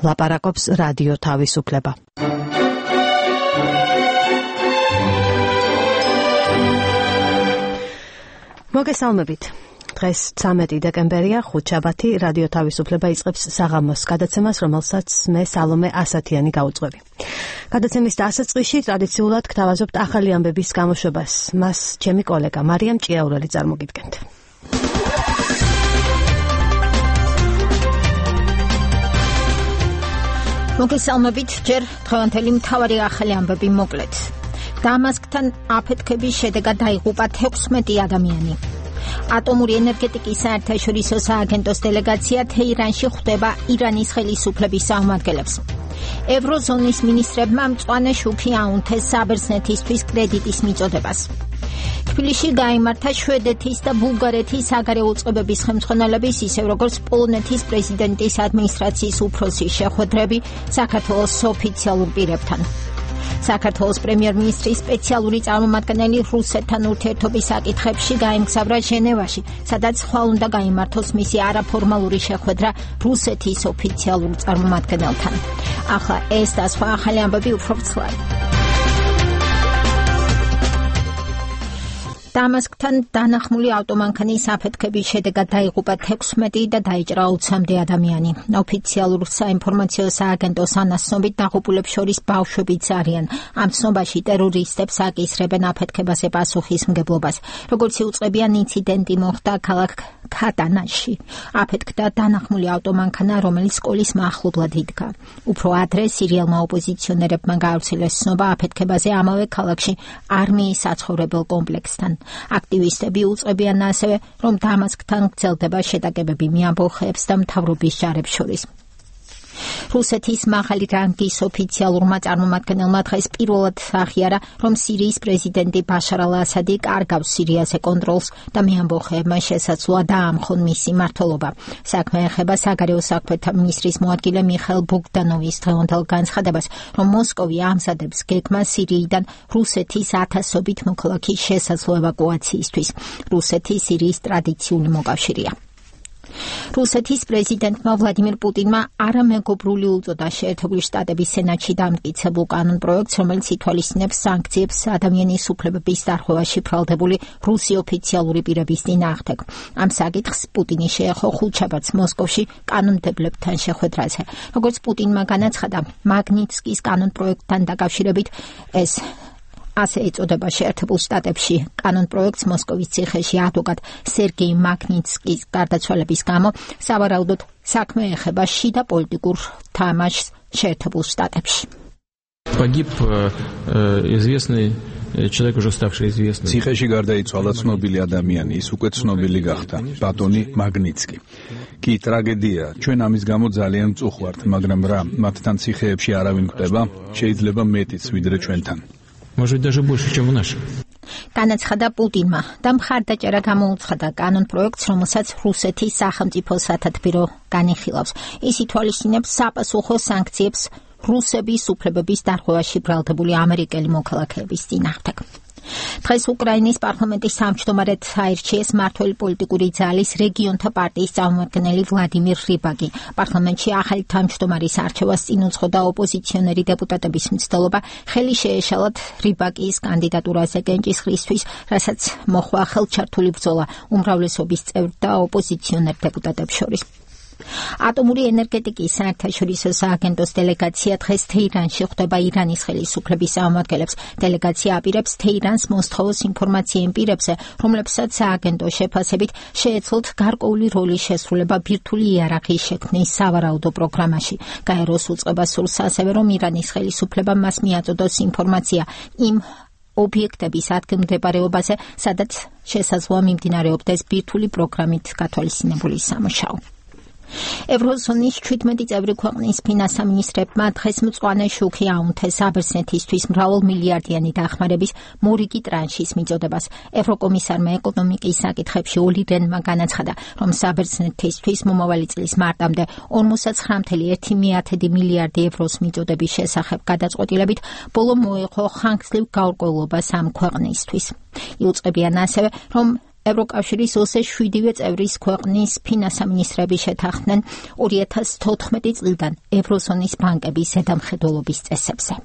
ლაპარაკობს რადიო თავისუფლება. მოგესალმებით. დღეს 13 დეკემბერია, ხუთშაბათი, რადიო თავისუფლება იწყებს საღამოს გადაცემას, რომელსაც მე სალომე ასათიანი გავუძღვები. გადაცემის დასაწყისში ტრადიციულად გთავაზობთ ახალი ამბების გამოშვებას. მას ჩემი კოლეგა მარიამ ჭიაურელი წარმოგიდგენთ. მოგესალმებით, ჯერ დღევანდელი მთავარი ახალი ამბები მოკლედ. დამასკთან აფეთქების შედეგად დაიღუპა 16 ადამიანი. ატომური ენერგეტიკის საერთაშორისო სააგენტოს დელეგაცია თეირანში ხვდება ირანის ხელისუფლების წარმომადგენლებს. ევროზონის მინისტრებმა მწვანე შუქი აუნთეს საბერძნეთისთვის კრედიტის მიწოდებას. თბილისში გაიმართა შვედეთის და ბულგარეთის საგარეო წყობების ხელმძღვანელების, ისევ როგორც პოლონეთის პრეზიდენტის ადმინისტრაციის უფროსის შეხვედრები საქართველოს ოფიციალურ პირებთან. საქართველოს პრემიერ-მინისტრის სპეციალური წარმომადგენელი რუსეთთან ურთიერთობის საკითხებში გაემგზავრა ჟენევაში, სადაც ხვალ უნდა გაიმართოს მისი არაფორმალური შეხვედრა რუსეთის ოფიციალურ წარმომადგენელთან. ახლა ეს და სხვა ახალი ამბები უფრო ვრცლად. დამასკთან დანახმული ავტომანქანის აფეთქების შედეგად დაიღუპა 16 და დაიჭრა 20-მდე ადამიანი. ოფიციალურ საინფორმაციო სააგენტოს ანასწრებით დაღუპულებს შორის ბავშვებიც არიან. ამ ცნობაში ტერორისტებს აკისრებენ აფეთქებაზე პასუხისმგებლობას. როგორც იუწყებიან, ინციდენტი მოხდა ქალაქ ქატანაში. აფეთქდა დანახმული ავტომანქანა, რომელიც სკოლის მახლობლად იდგა. უფრო ადრე სირიელმა ოპოზიციონერებმა გაავრცელეს ცნობა აფეთქებაზე ამავე ქალაქში არმიის საცხოვრებელ კომპლექსთან. აქტივისტები უწყებიან ასევე, რომ დამასკთან გრძელდება შეტაკებები მეამბოხეებს და მთავრობის ჯარებს შორის. რუსეთის მაღალი რანგის ოფიციალურმა წარმომადგენელმა დღეს პირველად აღიარა, რომ სირიის პრეზიდენტი ბაშარ ალ-ასადი კარგავს სირიაზე კონტროლს და მეამბოხეებმა შესაძლოა დაამხონ მისი მმართველობა. საქმე ეხება საგარეო საქმეთა მინისტრის მოადგილე მიხაილ ბოგდანოვის დღევანდელ განცხადებას, რომ მოსკოვი ამზადებს გეგმას სირიიდან რუსეთის 1000-ობით მოქალაქის შესაძლო ევაკუაციისთვის. რუსეთი სირიის ტრადიციული მოკავშირეა. რუსეთის პრეზიდენტმა ვლადიმირ პუტინმა არამეგობრული უწოდა შეერთებული შტატების სენატში დამტკიცებულ კანონპროექტს, რომელიც ითვალისწინებს სანქციებს ადამიანის უფლებების დარღვევაში ბრალდებული რუსი ოფიციალური პირების წინააღმდეგ. ამ საკითხს პუტინი შეეხო ხუთშაბათს მოსკოვში კანონმდებლებთან შეხვედრაზე. როგორც პუტინმა განაცხადა, მაგნიტსკის კანონპროექტთან დაკავშირებით ეს ასე ეწოდება შეერთებულ შტატებში კანონპროექტს მოსკოვის ციხეში ადვოკატ სერგეი მაგნიტსკის გარდაცვალების გამო სავარაუდოდ საქმე ეხება შიდა პოლიტიკურ თამაშს შეერთებულ შტატებში. Погиб известный человек, уже ставший известным. ციხეში გარდაიცვალა ცნობილი ადამიანი, ის უკვე ცნობილი გახდა, ბატონი მაგნიტსკი. კი ტრაგედია, ჩვენ ამის გამო ძალიან მწუხვართ, მაგრამ რა, მათთან ციხეებში არავინ გვხვდება, შეიძლება მეტიც ვიდრე ჩვენთან. Может, даже больше, чем у наших. განაცხადა პუტინმა და მხარდაჭერა გამოუცხადა კანონპროექტს, რომელსაც რუსეთის სახელმწიფო სათათბირო განიხილავს. ის ითვალისწინებს საპასუხო სანქციებს რუსების უფლებების დარღვევაში ბრალდებული ამერიკელი მოქალაქეების წინააღმდეგ. დღეს უკრაინის პარლამენტის თავმჯდომარედ აირჩიეს მმართველი პოლიტიკური ძალის რეგიონთა პარტიის წარმომადგენელი ვლადიმირ რიბაკი. პარლამენტში ახალი თავმჯდომარის არჩევას წინ უძღოდა ოპოზიციონერი დეპუტატების მცდელობა, ხელი შეეშალათ რიბაკის კანდიდატურაზე კენჭისყრისთვის, რასაც მოჰყვა ხელჩართული ბრძოლა უმრავლესობის წევრ და ოპოზიციონერ დეპუტატებს შორის. ატომური ენერგეტიკის საერთაშორისო სააგენტოს დელეგაცია დღეს თეირანში ხვდება ირანის ხელისუფლების წარმომადგენლებს. დელეგაცია აპირებს თეირანს მოსთხოვოს ინფორმაცია იმ პირებზე, რომლებსაც სააგენტოს შეფასებით შეეძლოთ გარკვეული როლის შესრულება ბირთვული იარაღის შექმნის სავარაუდო პროგრამაში. გაეროს უწყება სურს ასევე, რომ ირანის ხელისუფლებამ მას მიაწოდოს ინფორმაცია იმ ობიექტების ადგილმდებარეობაზე, სადაც შესაძლოა მიმდინარეობდეს ბირთვული პროგრამით გათვალისწინებული სამუშაო. ევროზონის 17 წევრი ქვეყნის ფინანსთა მინისტრებმა დღეს მწვანე შუქი აუნთეს საბერძნეთისთვის მრავალმილიარდიანი დახმარების მორიგი ტრანშის მიწოდებას. ევროკომისარმა ეკონომიკის საკითხებში ოლი რენმა განაცხადა, რომ საბერძნეთისთვის მომავალი წლის მარტამდე 59,1 მილიარდი ევროს მიწოდების შესახებ გადაწყვეტილებით ბოლო მოეყო ხანგრძლივ გაურკვევლობას ამ ქვეყნისთვის. იუწყებიან ასევე, რომ ევროკავშირის 27-ვე წევრის ქვეყნის ფინანსამინისტრები შეთანხმდნენ 2014 წლიდან ევროზონის ბანკების ზედამხედველობის წესებზე.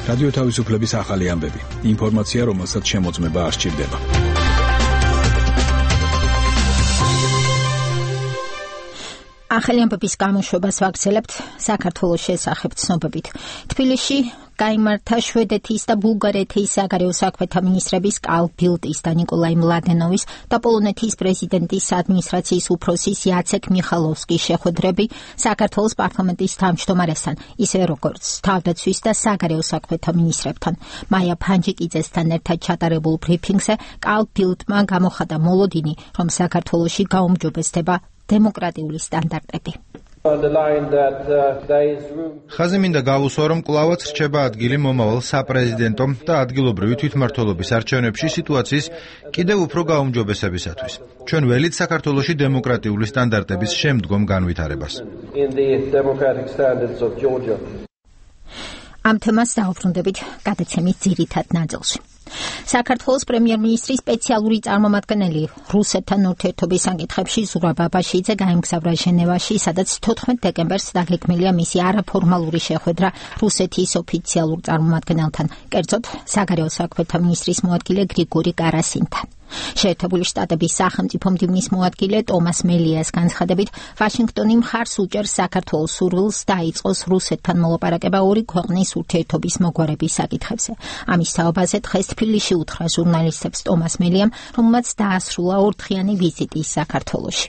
რადიო თავისუფლების ახალი ამბები. ინფორმაცია, რომელსაც შემოწმება არ სჭირდება. ახალი ამბების გამოშვებას ვაგრძელებთ საქართველოს შესახებ ცნობებით. თბილისში გაიმართა შვედეთის და ბულგარეთის საგარეო საქმეთა მინისტრების კალ ბილტის და ნიკოლაი მლადენოვის და პოლონეთის პრეზიდენტის ადმინისტრაციის უფროსის იაცეკ მიხალოვსკის შეხვედრები საქართველოს პარლამენტის თავმჯდომარესთან, ისე როგორც თავდაცვის და საგარეო საქმეთა მინისტრებთან. მაია ფანჯიკიძესთან ერთად ჩატარებულ ბრიფინგზე კალ ბილტმა გამოხატა მოლოდინი, რომ საქართველოში გაუმჯობესდება დემოკრატიული სტანდარტები. ხაზი მინდა გავუსვა, რომ კვლავაც რჩება ადგილი მომავალ საპრეზიდენტო და ადგილობრივი თვითმმართველობის არჩევნებში სიტუაციის კიდევ უფრო გაუმჯობესებისათვის. ჩვენ ველით საქართველოში დემოკრატიული სტანდარტების შემდგომ განვითარებას. ამ თემას დავუბრუნდებით გადაცემის ძირითად ნაწილში. საქართველოს პრემიერ-მინისტრის სპეციალური წარმომადგენელი რუსეთთან ურთიერთობის საკითხებში ზურაბ აბაშიძე გაემგზავრა ჟენევაში, სადაც 14 დეკემბერს დაგეგმილია მისი არაფორმალური შეხვედრა რუსეთის ოფიციალურ წარმომადგენელთან, კერძოდ საგარეო საქმეთა მინისტრის მოადგილე გრიგორი კარასინთან. შეერთებული შტატების სახელმწიფო მდივნის მოადგილე ტომას მელიას განცხადებით, ვაშინგტონი მხარს უჭერს საქართველოს სურვილს დაიწყოს რუსეთთან მოლაპარაკება ორი ქვეყნის ურთიერთობის მოგვარების საკითხებზე. ამის თაობაზე დღეს თბილისში უთხრა ჟურნალისტებს ტომას მელიამ, რომელმაც დაასრულა ორდღიანი ვიზიტი საქართველოში.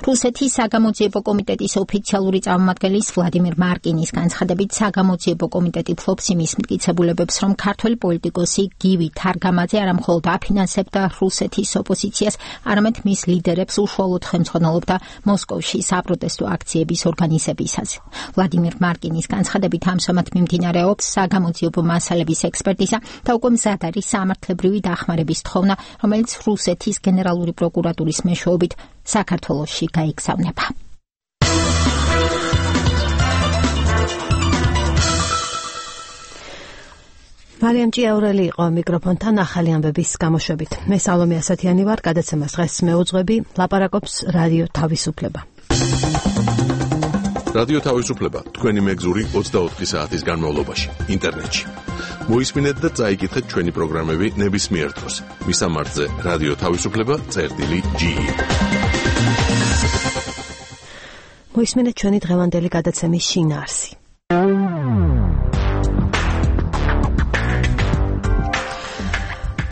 რუსეთის საგამოძიებო კომიტეტის ოფიციალური წარმომადგენლის ვლადიმირ მარკინის განცხადებით, საგამოძიებო კომიტეტი ფლობს იმის მტკიცებულებებს, რომ ქართველი პოლიტიკოსი გივი თარგამაძე არა მხოლოდ აფინანსებდა რუსეთის ოპოზიციას, არამედ მის ლიდერებს უშუალოდ ხელმძღვანელობდა მოსკოვში საპროტესტო აქციების ორგანიზებისას. ვლადიმირ მარკინის განცხადებით, ამჟამად მიმდინარეობს საგამოძიებო მასალების ექსპერტიზა და უკვე მზად არის სამართლებრივი დახმარების თხოვნა, რომელიც რუსეთის გენერალური პროკურატურის მეშვეობით საქართველოში გაიგზავნება. მარიამ ჭიაურელი იყო მიკროფონთან ახალი ამბების გამოშვებით. მე სალომე ასათიანი ვარ, გადაცემას დღეს მეუძღვები, ლაპარაკობს რადიო თავისუფლება. რადიო თავისუფლება თქვენი მეგზური 24 საათის განმავლობაში ინტერნეტში. მოისმინეთ და წაიკითხეთ ჩვენი პროგრამები ნებისმიერ დროს. მისამართზე რადიო თავისუფლება.ge. მოისმინეთ ჩვენი დღევანდელი გადაცემის შინაარსი.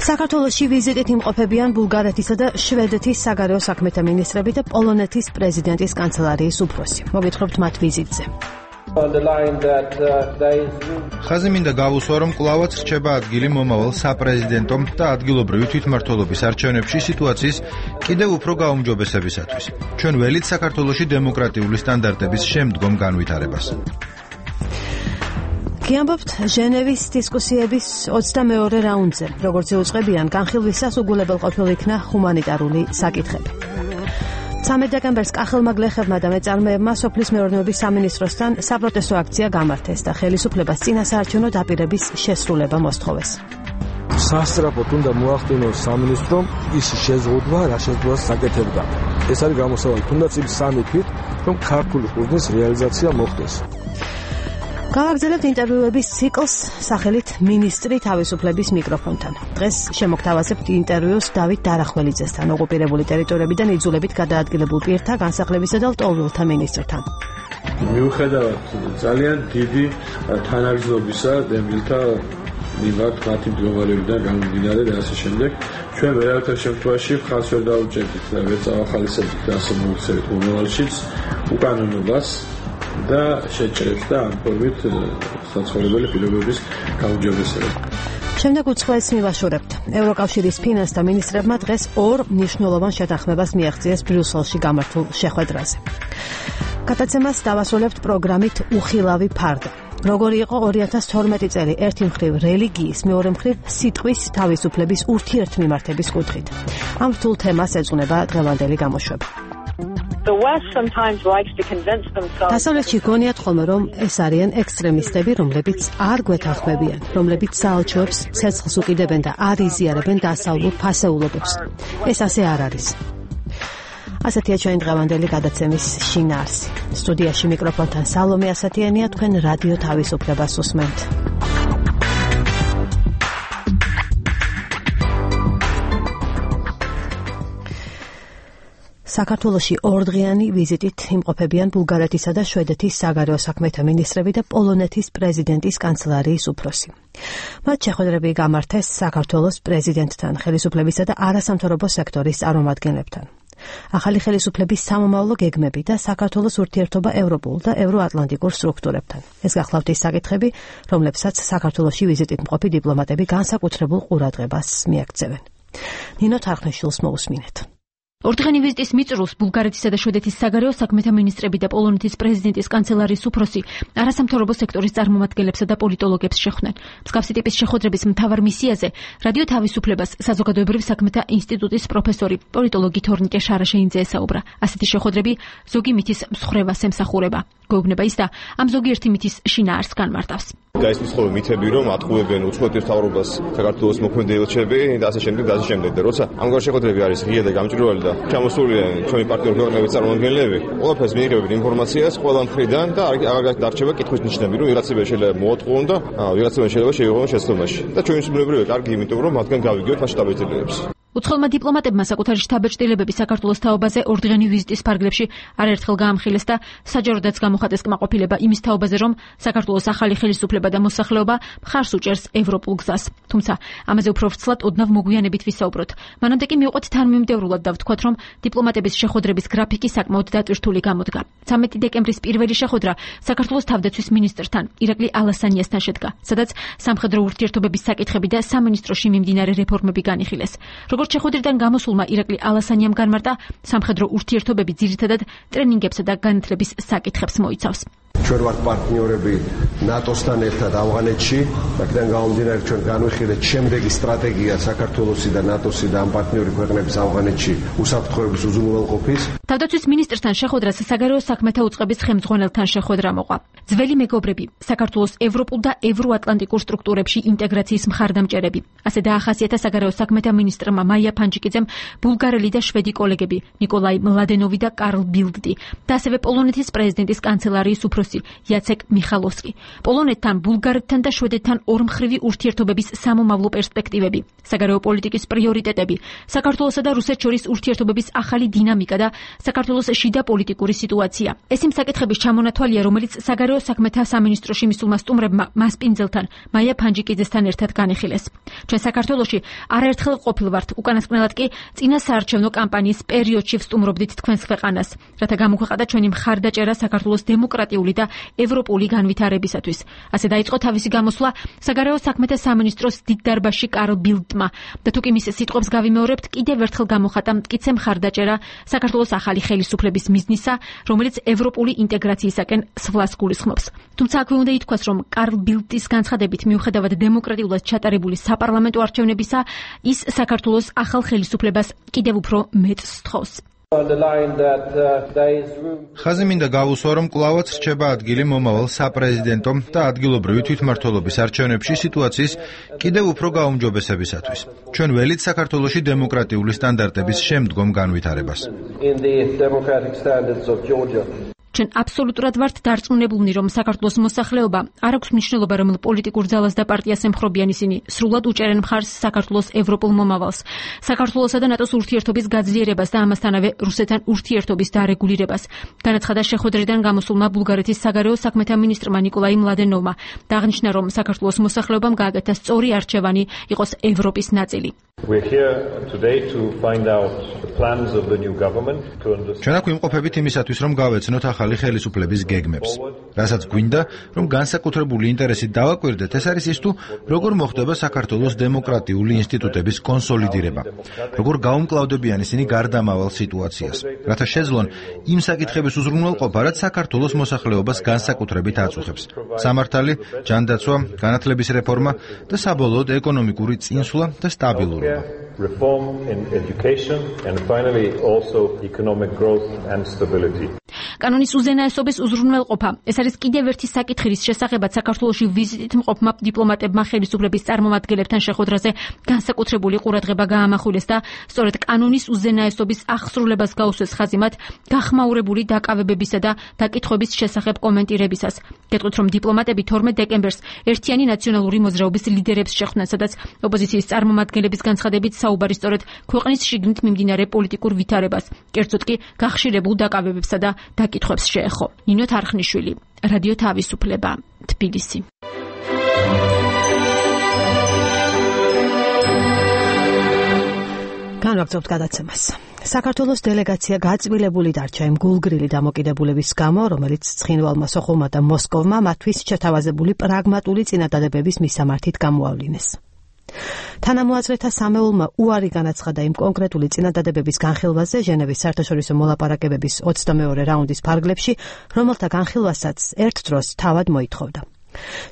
საქართველოში ვიზიტით იმყოფებიან ბულგარეთისა და შვედეთის საგარეო საქმეთა მინისტრები და პოლონეთის პრეზიდენტის კანცელარიის უფროსი. მოგითხრობთ მათ ვიზიტზე. ხაზი მინდა გავუსვა, რომ კვლავაც რჩება ადგილი მომავალ საპრეზიდენტო და ადგილობრივი თვითმმართველობის არჩევნებში სიტუაციის კიდევ უფრო გაუმჯობესებისათვის. ჩვენ ველით საქართველოში დემოკრატიული სტანდარტების შემდგომ განვითარებას. გიამბობთ ჟენევის დისკუსიების 22-რე რაუნდზე, როგორც იუწყებიან, განხილვისას უგულებელ ყოფილ იქნა ჰუმანიტარული საკითხები. 13 დეკემბერს კახელმა გლეხებმა და მეწარმეებმა სოფლის მეურნეობის სამინისტროსთან საპროტესტო აქცია გამართეს და ხელისუფლებას წინასაარჩევნო დაპირების შესრულება მოსთხოვეს. სასწრაფოდ უნდა მოახდინოს სამინისტრომ ის შეზღუდვა, რა შეზღუდვას საკეთებდა. ეს არის გამოსავალი თუნდაც იმ 3 თვით, რომ ქართული ყურძნის რეალიზაცია მოხდეს. გავაგრძელებთ ინტერვიუების ციკლს სახელით მინისტრი თავისუფლების მიკროფონთან. დღეს შემოგთავაზებთ ინტერვიუს დავით დარახველიძესთან, ოკუპირებული ტერიტორიებიდან იძულებით გადაადგილებულ პირთა განსახლებისა და ლტოლვილთა მინისტრთან. მიუხედავად ძალიან დიდი თანაგრძნობისა დემილთა მიმართ მათი მდგომარეობიდან გამომდინარე და ასე შემდეგ, ჩვენ ვერავითარ შემთხვევაში ხალხს ვერ დაუჭერდით და ვერ წავახალისებდით და ასე მოვიქცევით მომავალშიც უკანონობას და შეჭრებს და ამ ფორმით საცხოვრებელი პირობების გაუმჯობესებას. შემდეგ უცხოეთს მივაშორებთ. ევროკავშირის ფინანსთა მინისტრებმა დღეს ორ მნიშვნელოვან შეთანხმებას მიაღწიეს ბრიუსელში გამართულ შეხვედრაზე. გადაცემას დავასრულებთ პროგრამით უხილავი ფარდა. როგორი იყო 2012 წელი ერთი მხრივ რელიგიის, მეორე მხრივ სიტყვის თავისუფლების ურთიერთმიმართების კუთხით. ამ რთულ თემას ეძღვნება დღევანდელი გამოშვება. დასავლეთში გონიათ ხოლმე, რომ ეს არიან ექსტრემისტები, რომლებიც არ გვეთანხმებიან, რომლებიც საელჩოებს ცეცხლს უკიდებენ და არ იზიარებენ დასავლურ ფასეულობებს. ეს ასე არ არის. ასეთია ჩვენი დღევანდელი გადაცემის შინაარსი. სტუდიაში მიკროფონთან სალომე ასათიანია, თქვენ რადიო თავისუფლებას უსმენთ. საქართველოში ორდღიანი ვიზიტით იმყოფებიან ბულგარეთისა და შვედეთის საგარეო საქმეთა მინისტრები და პოლონეთის პრეზიდენტის კანცელარიის უფროსი. მათ შეხვედრები გამართეს საქართველოს პრეზიდენტთან, ხელისუფლებისა და არასამთავრობო სექტორის წარმომადგენლებთან. ახალი ხელისუფლების სამომავლო გეგმები და საქართველოს ურთიერთობა ევროპულ და ევროატლანტიკურ სტრუქტურებთან. ეს გახლავთ ის საკითხები, რომლებსაც საქართველოში ვიზიტით მყოფი დიპლომატები განსაკუთრებულ ყურადღებას მიაქცევენ. ნინო თარხნიშვილს მოусმინეთ. ორდღიანი ვიზიტის მიწურულს ბულგარეთისა და შვედეთის საგარეო საქმეთა მინისტრები და პოლონეთის პრეზიდენტის კანცელარიის უფროსი არასამთავრობო სექტორის წარმომადგენლებსა და პოლიტოლოგებს შეხვდნენ. მსგავსი ტიპის შეხვედრების მთავარ მისიაზე რადიო თავისუფლებას საზოგადოებრივ საქმეთა ინსტიტუტის პროფესორი, პოლიტოლოგი თორნიკე შარაშეინძე ესაუბრა. ასეთი შეხვედრები ზოგი მითის მსხვერპლს ემსახურება. გვეუბნება ის და ამ ზოგიერთი მითის შინაარსს განმარტავს. გაისმის ხოლმე მითები, რომ ატყუებენ უცხოეთის მთავრობას საქართველოს მოქმედი ელჩები და ასე შემდეგ და ასე შემდეგ. და როცა ამგვარი შეხვედრები არის ღია და გამჭვირვალე და ჩამოსულია ჩვენი პარტნიორ ქვეყნების წარმომადგენლები, ყველაფერს მიიღებენ ინფორმაციას ყველა მხრიდან და აღარ დარჩება კითხვის ნიშნები, რომ ვიღაცები შეიძლება მოატყუონ და ვიღაცები შეიძლება შეიღონ შეცდომაში. და ჩვენი სიბნელეობრივია კარგი, იმიტომ რომ მათგან გავიგებთ მათ შტაბ-ბეჭდილებებს. უცხოელმა დიპლომატებმა საკუთარი შტაბ-ბეჭდილებები საქართველოს თაობაზე ორდღიანი ვიზიტის ფარგლებში არაერთხელ გაამხილეს და საჯაროდაც გამოხატეს კმაყოფილება იმის თაობაზე, რომ საქართველოს ახალი ხელისუფლება და მოსახლეობა მხარს უჭერს ევროპულ გზას. თუმცა ამაზე უფრო ვრცლად ოდნავ მოგვიანებით ვისაუბროთ. მანამდე კი მივყვეთ თანმიმდევრულად და ვთქვათ, რომ დიპლომატების შეხვედრების გრაფიკი საკმაოდ დატვირთული გამოდგა. 13 დეკემბრის პირველი შეხვედრა საქართველოს თავდაცვის მინისტრთან, ირაკლი ალასანიასთან შედგა, სადაც სამხედრო ურთიერთობების საკითხები და სამინისტროში მიმდინარე რეფორმები განიხილეს. როგორც შეხვედრიდან გამოსულმა ირაკლი ალასანიამ განმარტა, სამხედრო ურთიერთობები ძირითადად ტრენინგებსა და განათლების საკითხებს მოიცავს. ჩვენ ვართ პარტნიორები ნატოსთან ერთად ავღანეთში, აქედან გამომდინარე ჩვენ განვიხილეთ შემდეგი სტრატეგია საქართველოსი და ნატოსი და ამ პარტნიორი ქვეყნების ავღანეთში უსაფრთხოების უზრუნველყოფის. თავდაცვის მინისტრთან შეხვედრას საგარეო საქმეთა უწყების ხელმძღვანელთან შეხვედრა მოყვა. ძველი მეგობრები, საქართველოს ევროპულ და ევროატლანტიკურ სტრუქტურებში ინტეგრაციის მხარდამჭერები. ასე დაახასიათა საგარეო საქმეთა მინისტრმა მაია ფანჯიკიძემ ბულგარელი და შვედი კოლეგები ნიკოლაი მლადენოვი და კარლ ბილდდი და ასევე პოლონეთის პრეზიდენტის კანცელარიის უფროსი იაცეკ მიხალოვსკი. პოლონეთთან, ბულგარეთთან და შვედეთთან ორმხრივი ურთიერთობების სამომავლო პერსპექტივები, საგარეო პოლიტიკის პრიორიტეტები, საქართველოსა და რუსეთს შორის ურთიერთობების ახალი დინამიკა და საქართველოს შიდა პოლიტიკური სიტუაცია. ეს იმ საკითხების ჩამონათვალია, რომელიც საგარეო საქმეთა სამინისტროში მისულმა სტუმრებმა მასპინძელთან, მაია ფანჯიკიძესთან ერთად განიხილეს. ჩვენ საქართველოში არაერთხელ ყოფილვართ, უკანასკნელად კი წინა საარჩევნო კამპანიის პერიოდში ვსტუმრობდით თქვენს ქვეყანას, რათა გამოგვეყადა ჩვენი მხარდაჭერა საქართველოს დემოკრატიული და ევროპული განვითარებისათვის. ასე დაიწყო თავისი გამოსვლა საგარეო საქმეთა სამინისტროს დიდ დარბაზში კარლ ბილდმა და თუ კი მის სიტყვებს გავიმეორებთ, კიდევ ერთხელ გამოხატა მტკიცე მხარდაჭერა საქართველოს ახალი ხელისუფლების მიზნისა, რომელიც ევროპული ინტეგრაციისაკენ სვლას გულისხმობს. თუმცა აქვე უნდა ითქვას, რომ კარლ ბილდის განცხადებით, მიუხედავად დემოკრატიულად ჩატარებული საპარლამენტო არჩევნებისა, ის საქართველოს ახალ ხელისუფლებას კიდევ უფრო მეტს სთხოვს. ხაზი მინდა გავუსვა, რომ კვლავაც რჩება ადგილი მომავალ საპრეზიდენტო და ადგილობრივი თვითმმართველობის არჩევნებში სიტუაციის კიდევ უფრო გაუმჯობესებისათვის. ჩვენ ველით საქართველოში დემოკრატიული სტანდარტების შემდგომ განვითარებას. ჩვენ აბსოლუტურად ვართ დარწმუნებულნი, რომ საქართველოს მოსახლეობა არ აქვს მნიშვნელობა, რომელ პოლიტიკურ ძალას და პარტიას ემხრობიან ისინი, სრულად უჭერენ მხარს საქართველოს ევროპულ მომავალს, საქართველოსა და ნატოს ურთიერთობის გაძლიერებას და ამასთანავე რუსეთთან ურთიერთობის დარეგულირებას. განაცხადა შეხვედრიდან გამოსულმა ბულგარეთის საგარეო საქმეთა მინისტრმა ნიკოლაი მლადენოვმა და აღნიშნა, რომ საქართველოს მოსახლეობამ გააკეთა სწორი არჩევანი იყოს ევროპის ნაწილი. ჩვენ აქ ვიმყოფებით იმისათვის, რომ გავეცნოთ ახალი ხელისუფლების გეგმებს. რასაც გვინდა, რომ განსაკუთრებული ინტერესით დავაკვირდეთ, ეს არის ის თუ როგორ მოხდება საქართველოს დემოკრატიული ინსტიტუტების კონსოლიდირება, როგორ გაუმკლავდებიან ისინი გარდამავალ სიტუაციას, რათა შეძლონ იმ საკითხების უზრუნველყოფა, რაც საქართველოს მოსახლეობას განსაკუთრებით აწუხებს. სამართალი, ჯანდაცვა, განათლების რეფორმა და საბოლოოდ ეკონომიკური წინსვლა და სტაბილურობა. reform in education, and finally also economic growth and stability. კანონის უზენაესობის უზრუნველყოფა. ეს არის კიდევ ერთი საკითხი, რის შესახებაც საქართველოში ვიზიტით მყოფმა დიპლომატებმა ხელისუფლების წარმომადგენლებთან შეხვედრაზე განსაკუთრებული ყურადღება გაამახვილეს და სწორედ კანონის უზენაესობის აღსრულებას გაუსვეს ხაზი მათ გახმაურებული დაკავებებისა და დაკითხვების შესახებ კომენტირებისას. გეტყვით, რომ დიპლომატები 12 დეკემბერს ერთიანი ნაციონალური მოძრაობის ლიდერებს შეხვდნენ, სადაც ოპოზიციის წარმომადგენლების განცხადებით საუბარი სწორედ ქვეყნის შიგნით მიმდინარე პოლიტიკურ ვითარებას, კერძოდ კი გახშირებულ დაკავებებსა და დაკითხვებს შეეხო. ნინო თარხნიშვილი, რადიო თავისუფლება, თბილისი. განვაგრძობთ გადაცემას. საქართველოს დელეგაცია გაწმილებული დარჩა იმ გულგრილი დამოკიდებულების გამო, რომელიც ცხინვალმა სოხუმმა და მოსკოვმა მათთვის შეთავაზებული პრაგმატული წინადადებების მისამართით გამოავლინეს. თანამოაზრეთა სამეულმა უარი განაცხადა იმ კონკრეტული წინადადებების განხილვაზე ჟენევის საერთაშორისო მოლაპარაკებების 22 რაუნდის ფარგლებში, რომელთა განხილვასაც ერთ დროს თავად მოითხოვდა.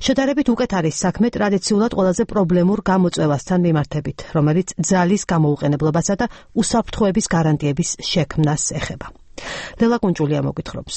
შედარებით უკეთ არის საქმე ტრადიციულად ყველაზე პრობლემურ გამოწვევასთან მიმართებით, რომელიც ძალის გამოუყენებლობასა და უსაფრთხოების გარანტიების შექმნას ეხება. ლელა კუნჭულია მოგვითხრობს.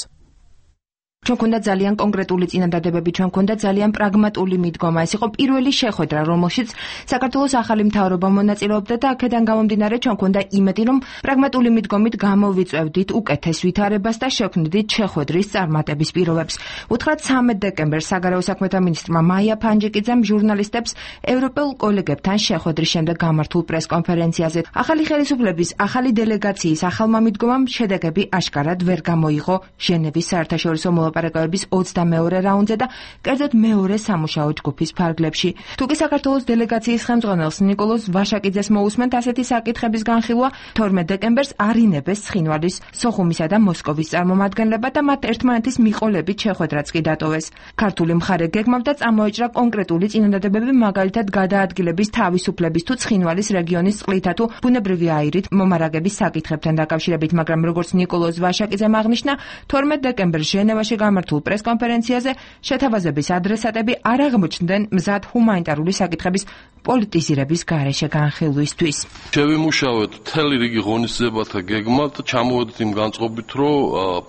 ჩვენ გვქონდა ძალიან კონკრეტული წინადადებები, ჩვენ გვქონდა ძალიან პრაგმატული მიდგომა. ეს იყო პირველი შეხვედრა, რომელშიც საქართველოს ახალი მთავრობა მონაწილეობდა და აქედან გამომდინარე ჩვენ გვქონდა იმედი, რომ პრაგმატული მიდგომით გამოვიწევდით უკეთეს ვითარებას და შექმნით შეხვედრის წარმატების პირობებს. უთხრათ 13 დეკემბერს საგარეო საქმეთა მინისტრმა მაია ფანჯიკიძემ ჟურნალისტებს ევროპელ კოლეგებთან შეხვედრის შემდეგ გამართულ პრესკონფერენციაზე ახალი ხელისუფლების, ახალი დელეგაციის ახალმა მიდგომამ შედეგები აშკარად ვერ გამოიღო ჟენევის საერთაშორისო მოლაპარაკებების 22 რაუნდზე და კერძოდ მეორე სამუშაო ჯგუფის ფარგლებში. თუკი საქართველოს დელეგაციის ხელმძღვანელს ნიკოლოზ ვაშაკიძეს მოусმენთ ასეთი საკითხების განხილვა, 12 დეკემბერს არინებეს ცხინვალის, სოხუმისა და მოსკოვის წარმომადგენლება და მათ ერთმანეთის მიყოლებით შეხვედრაც კი დატოვეს. ქართული მხარე გეგმავდა წამოეჭრა კონკრეტული წინადადებები, მაგალითად გადაადგილების თავისუფლების თუ ცხინვალის რეგიონის წყლითა თუ ბუნებრივი აირით მომარაგების საკითხებთან დაკავშირებით, მაგრამ როგორც ნიკოლოზ ვაშაკიძემ აღნიშნა, 12 დეკემბერს ჟენევაში გამართულ პრესკონფერენციაზე შეთავაზების ადრესატები არ აღმოჩნდნენ მზად ჰუმანიტარული საკითხების პოლიტიზირების გარეშე განხილვისთვის. შევიმუშავეთ მთელი რიგი ღონისძიებათა გეგმად, ჩამოვედით იმ განწყობით, რომ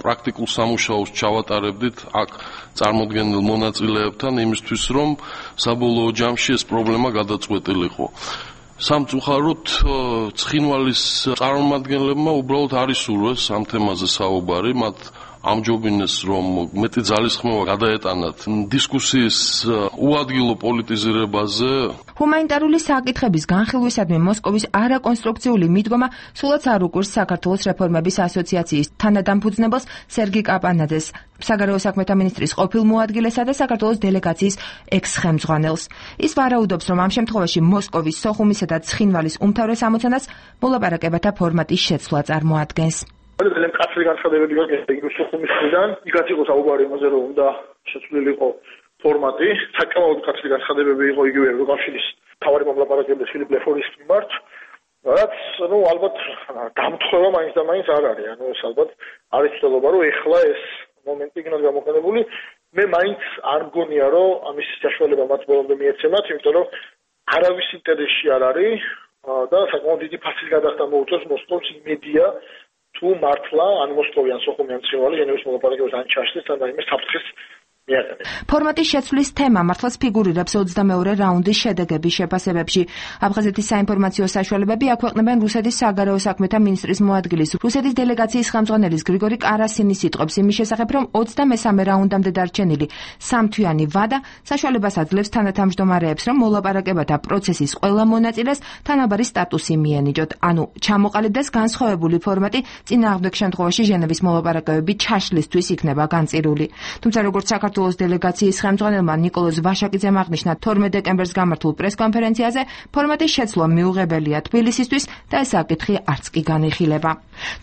პრაქტიკულ სამუშაოს ჩავატარებდით აქ წარმოდგენილ მონაწილეებთან იმისთვის, რომ საბოლოო ჯამში ეს პრობლემა გადაწყვეტილიყო. სამწუხაროდ ცხინვალის წარმომადგენლებმა უბრალოდ არ ისურვეს ამ თემაზე საუბარი, მათ ამჯობინეს, რომ მეტი ძალისხმევა გადაეტანათ დისკუსიის უადგილო პოლიტიზირებაზე. ჰუმანიტარული საკითხების განხილვისადმი მოსკოვის არაკონსტრუქციული მიდგომა სულაც არ უკვირს საქართველოს რეფორმების ასოციაციის თანადამფუძნებელს სერგი კაპანაძეს, საგარეო საქმეთა მინისტრის ყოფილ მოადგილესა და საქართველოს დელეგაციის ექს-ხელმძღვანელს. ის ვარაუდობს, რომ ამ შემთხვევაში მოსკოვის, სოხუმისა და ცხინვალის უმთავრეს ამოცანას მოლაპარაკებათა ფორმატის შეცვლა წარმოადგენს. ძალიან მკაცრი განცხადებები გაგებია სოხუმის მხრიდან. იქაც იყო საუბარი იმაზე, რომ უნდა შეცვლილიყო ფორმატი. საკმაოდ მკაცრი განცხადებები იყო იგივე ევროკავშირის მთავარი მომლაპარაკებელი ფილიპ ლეფონის მიმართ. რაც, ალბათ დამთხევა მაინც და მაინც არ არის. ეს ალბათ არის ცდილობა, რომ ეხლა ეს მომენტი იქნას გამოყენებული. მე მაინც არ მგონია, რომ ამის საშუალება მათ ბოლომდე მიეცემათ, იმიტომ რომ არავის ინტერესში არ არის და საკმაოდ დიდი ფასის გადახდა მოუწევს მოსკოვს იმედია თუ მართლა ან მოსკოვიან სოხუმიან ცხინვალი ჟენევის მოლაპარაკებებს ან ჩაშლის ან რაიმე საფრთხეს მიაყენებს. ფორმატის შეცვლის თემა მართლაც ფიგურირებს 22 რაუნდის შედეგების შეფასებებში. აფხაზეთის საინფორმაციო საშუალებები აქვეყნებენ რუსეთის საგარეო საქმეთა მინისტრის მოადგილის, რუსეთის დელეგაციის ხელმძღვანელის გრიგორი კარასინის სიტყვებს იმის შესახებ, რომ 23 რაუნდამდე დარჩენილი სამთვიანი ვადა საშუალებას აძლევს თანათავმჯდომარეებს, რომ მოლაპარაკებათა პროცესის ყველა მონაწილეს თანაბარი სტატუსი მიენიჭოთ, ანუ ჩამოყალიბდეს განსხვავებული ფორმატი, წინააღმდეგ შემთხვევაში ჟენევის მოლაპარაკებები ჩაშლისთვის იქნება განწირული. თუმცა როგორც საქართველოს დელეგაციის ხელმძღვანელმა ნიკოლოზ ვაშაკიძემ აღნიშნა 12 დეკემბერს გამართულ პრესკონფერენციაზე, ფორმატის შეცვლა მიუღებელია თბილისისთვის და ეს საკითხი არც კი განიხილება.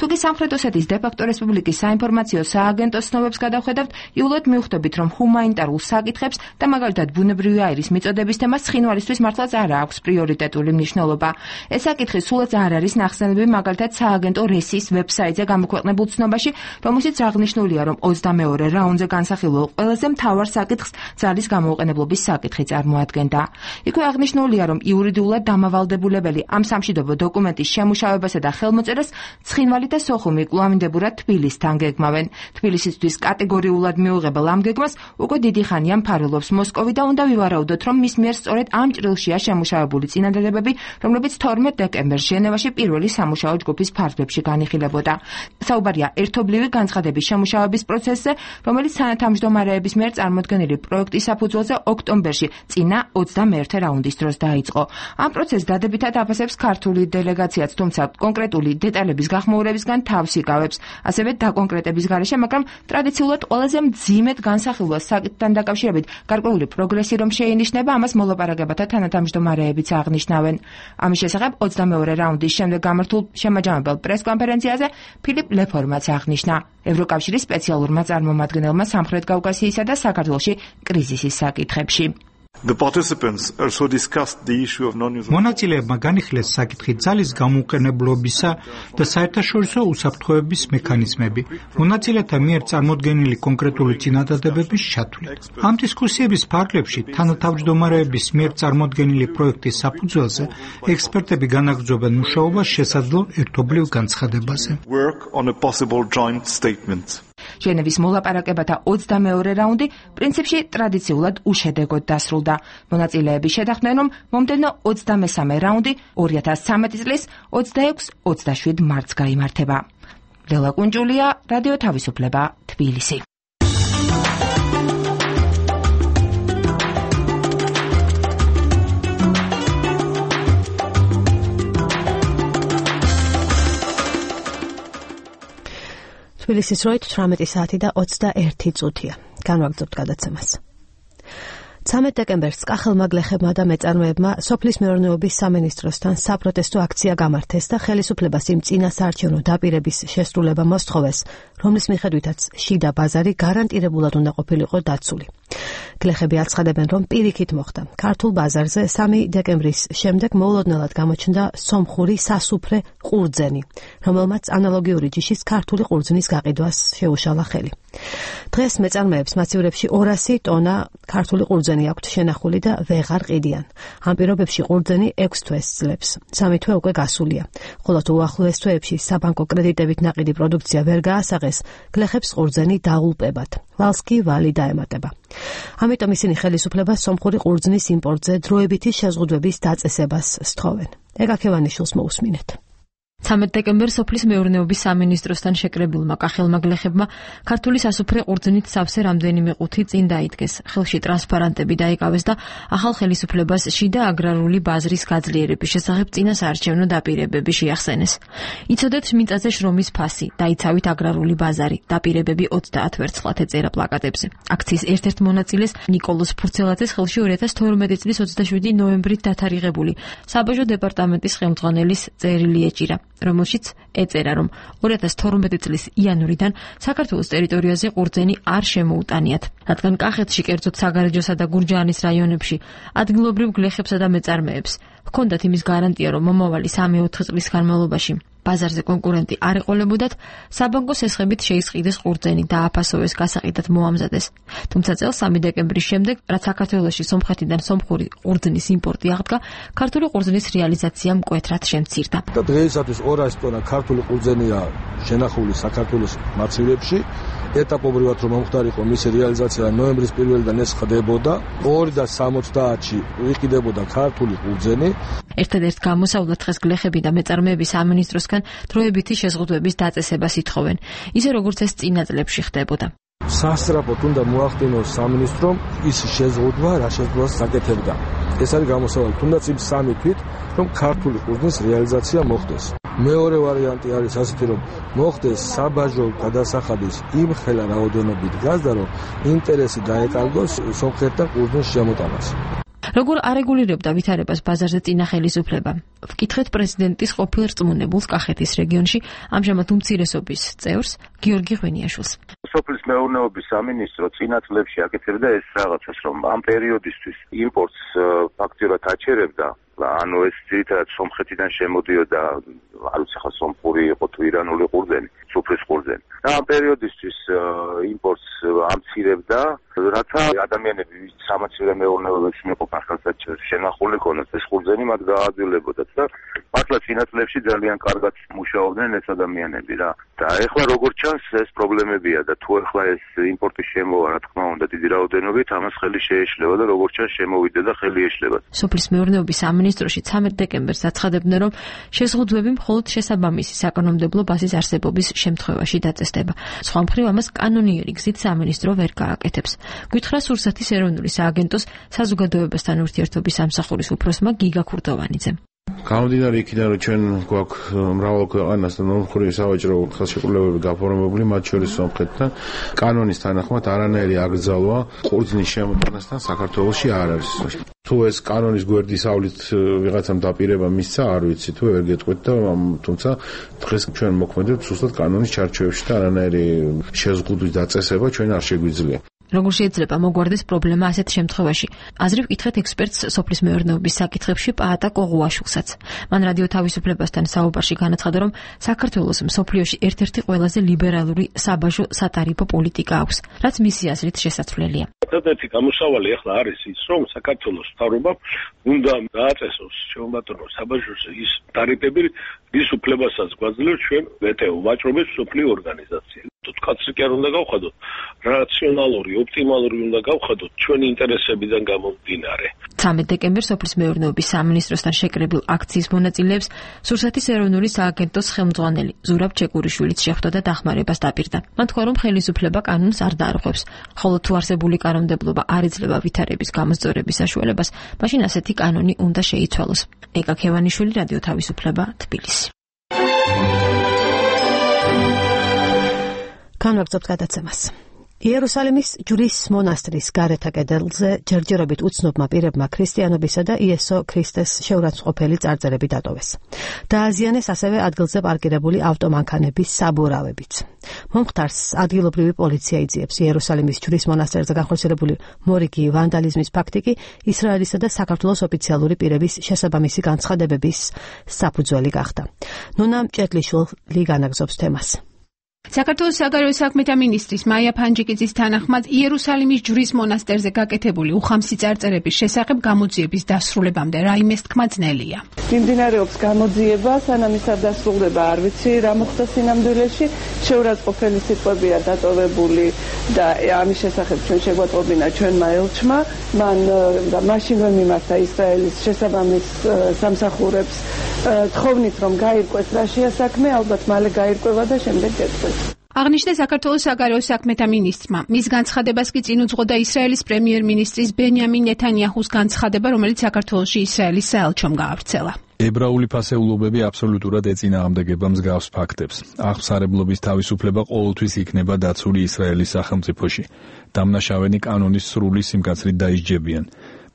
თუკი სამხრეთ ოსეთის დე-ფაქტო რესპუბლიკის საინფორმაციო სააგენტოს ცნობებს გადავხედავთ, იულად მივხვდებით, რომ ჰუმანიტარულ საკითხებს და მაგალითად ბუნებრივი აირის მიწოდების თემას ცხინვალისთვის მართლაც არ აქვს პრიორიტეტული მნიშვნელობა. ეს საკითხი სულაც არ არის ნახსენები მაგალითად სააგენტო რესის ვებსაიტზე გამოქვეყნებულ ცნობაში, რომელშიც აღნიშნულია, რომ 22 რაუნდზე განსახილველ ყველა ყველაზე მთავარ საკითხს ძალის გამოუყენებლობის საკითხი წარმოადგენდა. იქვე აღნიშნულია, რომ იურიდიულად დამავალდებულებელი ამ სამშვიდობო დოკუმენტის შემუშავებასა და ხელმოწერას ცხინვალი და სოხუმი კვლავინდებურად თბილისთან გეგმავენ. თბილისისთვის კატეგორიულად მიუღებელ ამ გეგმას უკვე დიდი ხანია მფარველობს მოსკოვი და უნდა ვივარაუდოთ, რომ მის მიერ სწორედ ამ ჭრილშია შემუშავებული წინადადებები, რომლებიც 12 დეკემბერს ჟენევაში პირველი სამუშაო ჯგუფის ფარგლებში განიხილებოდა. საუბარია ერთობლივი განცხადების შემუშავების პროცესზე, რომელიც თანათავმჯდომარეების მიერ წარმოდგენილი პროექტის საფუძველზე ოქტომბერში წინა 21 რაუნდის დროს დაიწყო. ამ პროცესს დადებითად აფასებს ქართული დელეგაციაც, თუმცა კონკრეტული დეტალების გახმოურებისგან თავს იკავებს. ასევე დაკონკრეტების გარეშე, მაგრამ ტრადიციულად ყველაზე მძიმედ განსახილვა საკითხთან დაკავშირებით გარკვეული პროგრესი რომ შეინიშნება, ამას მოლაპარაკებათა თანათავმჯდომარეებიც აღნიშნავენ. ამის შესახებ 22 რაუნდის შემდეგ გამართულ შემაჯამებელ პრესკონფერენციაზე ფილიპ ლეფორმაც აღნიშნა. ევროკავშირის სპეციალურმა წარმომადგენელმა სამხრეთ კავკასიისა და საქართველოში კრიზისის საკითხებში. მონაწილეებმა განიხილეს საკითხი ძალის გამოუყენებლობისა და საერთაშორისო უსაფრთხოების მექანიზმები, მონაწილეთა მიერ წარმოდგენილი კონკრეტული წინადადებების ჩათვლით. ამ დისკუსიების ფარგლებში თანათავმჯდომარეების მიერ წარმოდგენილი პროექტის საფუძველზე ექსპერტები განაგრძობენ მუშაობას შესაძლო ერთობლივ განცხადებაზე. ჟენევის მოლაპარაკებათა 22 რაუნდი პრინციპში ტრადიციულად უშედეგოდ დასრულდა. მონაწილეები შეთანხმდნენ, რომ მომდევნო 23 რაუნდი 2013 წლის 26-27 მარტს გაიმართება. ლელა კუნჯულია, რადიო თავისუფლება, თბილისი. თბილისის დროით 18 საათი და 21 წუთია. განვაგრძობთ გადაცემას. 13 დეკემბერს კახელმა გლეხებმა და მეწარმეებმა სოფლის მეურნეობის სამინისტროსთან საპროტესტო აქცია გამართეს და ხელისუფლებას იმ წინასაარჩევნო დაპირების შესრულება მოსთხოვეს, რომლის მიხედვითაც შიდა ბაზარი გარანტირებულად უნდა ყოფილიყო დაცული. გლეხები აცხადებენ, რომ პირიქით მოხდა. ქართულ ბაზარზე 3 დეკემბრის შემდეგ მოულოდნელად გამოჩნდა სომხური სასუფრე ყურძენი, რომელმაც ანალოგიური ჯიშის ქართული ყურძნის გაყიდვას შეუშალა ხელი. დღეს მეწარმეებს მასივრებში 200 ტონა ქართული ყურძენი აქვთ შენახული და ვეღარ ყიდიან. ამ პირობებში ყურძენი 6 თვეს ძლებს. 3 თვე უკვე გასულია. ხოლო თუ უახლოეს თვეებში საბანკო კრედიტებით ნაყიდი პროდუქცია ვერ გაასაღეს, გლეხებს ყურძენი დაულპებათ. ვალს კი ვალი დაემატება. ამიტომ ისინი ხელისუფლებას სომხური ყურძნის იმპორტზე დროებითი შეზღუდვების დაწესებას სთხოვენ. ეგაქევანიშვილს მოусმინეთ. 13 დეკემბერს სოფლის მეურნეობის სამინისტროსთან შეკრებილმა კახელმა გლეხებმა ქართული სასუფრე ყურძნით სავსე რამდენიმე ყუთი წინ დაიდგეს. ხელში ტრანსპარანტები დაიკავეს და ახალ ხელისუფლებას შიდა აგრარული ბაზრის გაძლიერების შესახებ წინასაარჩევნო დაპირებები შეახსენეს. იცოდეთ მიწაზე შრომის ფასი, დაიცავით აგრარული ბაზარი, დაპირებები 30 ვერცხლად ეწერა პლაკატებზე. აქციის ერთ-ერთ მონაწილეს ნიკოლოზ ფურცელაძეს ხელში 2012 წლის 27 ნოემბრით დათარიღებული საბაჟო დეპარტამენტის ხელმძღვანელის წერილი ეჭირა, რომელშიც ეწერა, რომ 2012 წლის იანვრიდან საქართველოს ტერიტორიაზე ყურძენი არ შემოუტანიათ, რადგან კახეთში, კერძოდ საგარეჯოსა და გურჯაანის რაიონებში ადგილობრივ გლეხებსა და მეწარმეებს ჰქონდათ იმის გარანტია, რომ მომავალი 3-4 წლის განმავლობაში ბაზარზე კონკურენტი არ ეყოლებოდათ, საბანკო სესხებით შეისყიდეს ყურძენი და აფასოვეს გასაყიდად მოამზადეს. თუმცა წელს 3 დეკემბრის შემდეგ, რაც საქართველოში სომხეთიდან სომხური ყურძნის იმპორტი აღდგა, ქართული ყურძნის რეალიზაცია მკვეთრად შემცირდა. და დღეისათვის 200 ტონა ქართული ყურძენია შენახული საქართველოს მასივრებში. ეტაპობრივად რომ მომხდარიყო მისი რეალიზაცია ნოემბრის 1-დან ეს ხდებოდა. 2070-ში ვიყიდებოდა ქართული ყურძენი. ერთადერთ გამოსავლად დღეს გლეხები და მეწარმეები სამინისტროსგან დროებითი შეზღუდვების დაწესებას ითხოვენ, ისე როგორც ეს წინა წლებში ხდებოდა. სასწრაფოდ უნდა მოახდინოს სამინისტრომ ის შეზღუდვა, რა შეზღუდვას საკეთებდა. ეს არის გამოსავალი, თუნდაც იმ 3 თვით, რომ ქართული ყურძნის რეალიზაცია მოხდეს. მეორე ვარიანტი არის ასეთი, რომ მოხდეს საბაჟო გადასახადის იმ ხელა რაოდენობით გაზდა, რომ ინტერესი დაეკარგოს სომხეთთან ყურძნის შემოტანას. როგორ არეგულირებდა ვითარებას ბაზარზე წინა ხელისუფლება? ვკითხეთ პრეზიდენტის ყოფილ რწმუნებულს კახეთის რეგიონში, ამჟამად უმცირესობის წევრს გიორგი ღვინიაშვილს. სოფლის მეურნეობის სამინისტრო წინა წლებში აკეთებდა ეს რაღაცას, რომ ამ პერიოდისთვის იმპორტს ფაქტიურად აჩერებდა. ანუ ეს ძირითადად სომხეთიდან შემოდიოდა, არ ვიცი ხა სომხური იყო თუ ირანული ყურძენი, სუფრის ყურძენი. და ამ პერიოდისთვის იმპორტს ამცირებდა, რათა ადამიანები სამაცივე მეურნეობებში მეყოფან ხალხად შენახული ქონდეს ეს ხურძენი მათ გააძვლებოდათ და მართლა წინა წლებში ძალიან კარგად მუშაობდნენ ეს ადამიანები რა და ეხლა როგორც ჩანს ეს პრობლემებია და თუ ეხლა ეს იმპორტის შემოვა რა თქმა უნდა დიდი რაოდენობით ამას ხელი შეეშლება და როგორც ჩანს შემოვიდა და ხელი ეშლება. სოფლის მეურნეობის სამინისტროში 13 დეკემბერს აცხადებდნენ რომ შეზღუდვები მხოლოდ შესაბამისი საკანონმდებლო ბაზის არსებობის შემთხვევაში დაწესდება. სხვა მხრივ ამას კანონიერი გზით სამინისტრო ვერ გააკეთებს. გითხრა სურსათის ეროვნული სააგენტოს საზოგადოებასთან ურთიერთობის სამსახურის უფროსმა გიგა ქურდოვანიძემ. გამომდინარე იქიდან რომ ჩვენ გვაქვს მრავალ ქვეყანასთან ორმხრივი სავაჭრო ხელშეკრულებები გაფორმებული, მათ შორის სომხეთთან, კანონის თანახმად არანაირი აკრძალვა ყურძნის შემოტანასთან საქართველოში არ არის. თუ ეს კანონის გვერდის ავლით ვიღაცამ დაპირება მისცა, არ ვიცი, თუ ვერ გეტყვით და თუმცა დღეს ჩვენ მოქმედებთ ზუსტად კანონის ჩარჩოებში და არანაირი შეზღუდვის დაწესება ჩვენ არ შეგვიძლია. როგორ შეიძლება მოგვარდეს პრობლემა ასეთ შემთხვევაში? აზრი ვკითხეთ ექსპერტს სოფლის მეურნეობის საკითხებში პაატა კოღუაშვილსაც. მან რადიო თავისუფლებასთან საუბარში განაცხადა, რომ საქართველოს მსოფლიოში ერთ-ერთი ყველაზე ლიბერალური საბაჟო სატარიფო პოლიტიკა აქვს, რაც მისი აზრით შესაძლებელია. ერთ-ერთი გამოსავალი ახლა არის ის, რომ საქართველოს მთავრობამ უნდა დააწესოს შემოგვატანოს საბაჟოს ის ტარიფები, რის უფლებასაც გვაძლევს ჩვენ ვტო ვაჭრობის მსოფლიო ორგანიზაცია. კაცრი კი არ უნდა გავხადოთ, რაციონალური, ოპტიმალური უნდა გავხადოთ ჩვენი ინტერესებიდან გამომდინარე. 13 დეკემბერს სოფლის მეურნეობის სამინისტროსთან შეკრებილ აქციის მონაწილეებს სურსათის ეროვნული სააგენტოს ხელმძღვანელი ზურაბ ჩეკურიშვილიც შეხვდა და დახმარებას დაპირდა. მან თქვა, რომ ხელისუფლება კანონს არ დაარღვევს, ხოლო თუ არსებული კანონმდებლობა არ იძლევა ვითარების გამოსწორების საშუალებას, მაშინ ასეთი კანონი უნდა შეიცვალოს. ეკა ქევანიშვილი, რადიო თავისუფლება, თბილისი. განვაგრძობთ გადაცემას. იერუსალიმის ჯვრის მონასტრის გარეთა კედელზე ჯერჯერობით უცნობმა პირებმა ქრისტიანობისა და იესო ქრისტეს შეურაცხყოფელი წარწერები დატოვეს. დააზიანეს ასევე ადგილზე პარკირებული ავტომანქანების საბურავებიც. მომხდარს ადგილობრივი პოლიცია იძიებს. იერუსალიმის ჯვრის მონასტერზე განხორციელებული მორიგი ვანდალიზმის ფაქტი კი ისრაელისა და საქართველოს ოფიციალური პირების შესაბამისი განცხადებების საფუძველი გახდა. ნუნა მჭედლიშვილი განაგზობს თემას. საქართველოს საგარეო საქმეთა მინისტრის მაია ფანჯიკიძის თანახმად იერუსალიმის ჯვრის მონასტერზე გაკეთებული უხამსი წარწერების შესახებ გამოძიების დასრულებამდე რაიმეს თქმა ძნელია. მიმდინარეობს გამოძიება, სანამ ის არ დასრულდება, არ ვიცი რა მოხდა სინამდვილეში. შეურაცხყოფელი სიტყვებია დატოვებული და ამის შესახებ ჩვენ შეგვატყობინა ჩვენმა ელჩმა. მან მაშინვე მიმართა ისრაელის შესაბამის სამსახურებს თხოვნით რომ გაირკვეს რა შეასაქმე, ალბათ მალე გაირკვევა და შემდეგ გეტყვით. აღნიშნეს საქართველოს საგარეო საქმეთა მინისტრმა. მის განცხადებას კი წინ უძღოდა ისრაელის პრემიერ-მინისტრის ბენიამინ ნეთანიაჰუს განცხადება, რომელიც საქართველოში ისრაელის საელჩომ გაავრცელა. ებრაული ფასეულობები აბსოლუტურად ეწინააღმდეგება მსგავს ფაქტებს. აღსარებლობის თავისუფლება ყოველთვის იქნება დაცული ისრაელის სახელმწიფოში. დამნაშავენი კანონის სრული სიმკაცრით დაისჯებიან.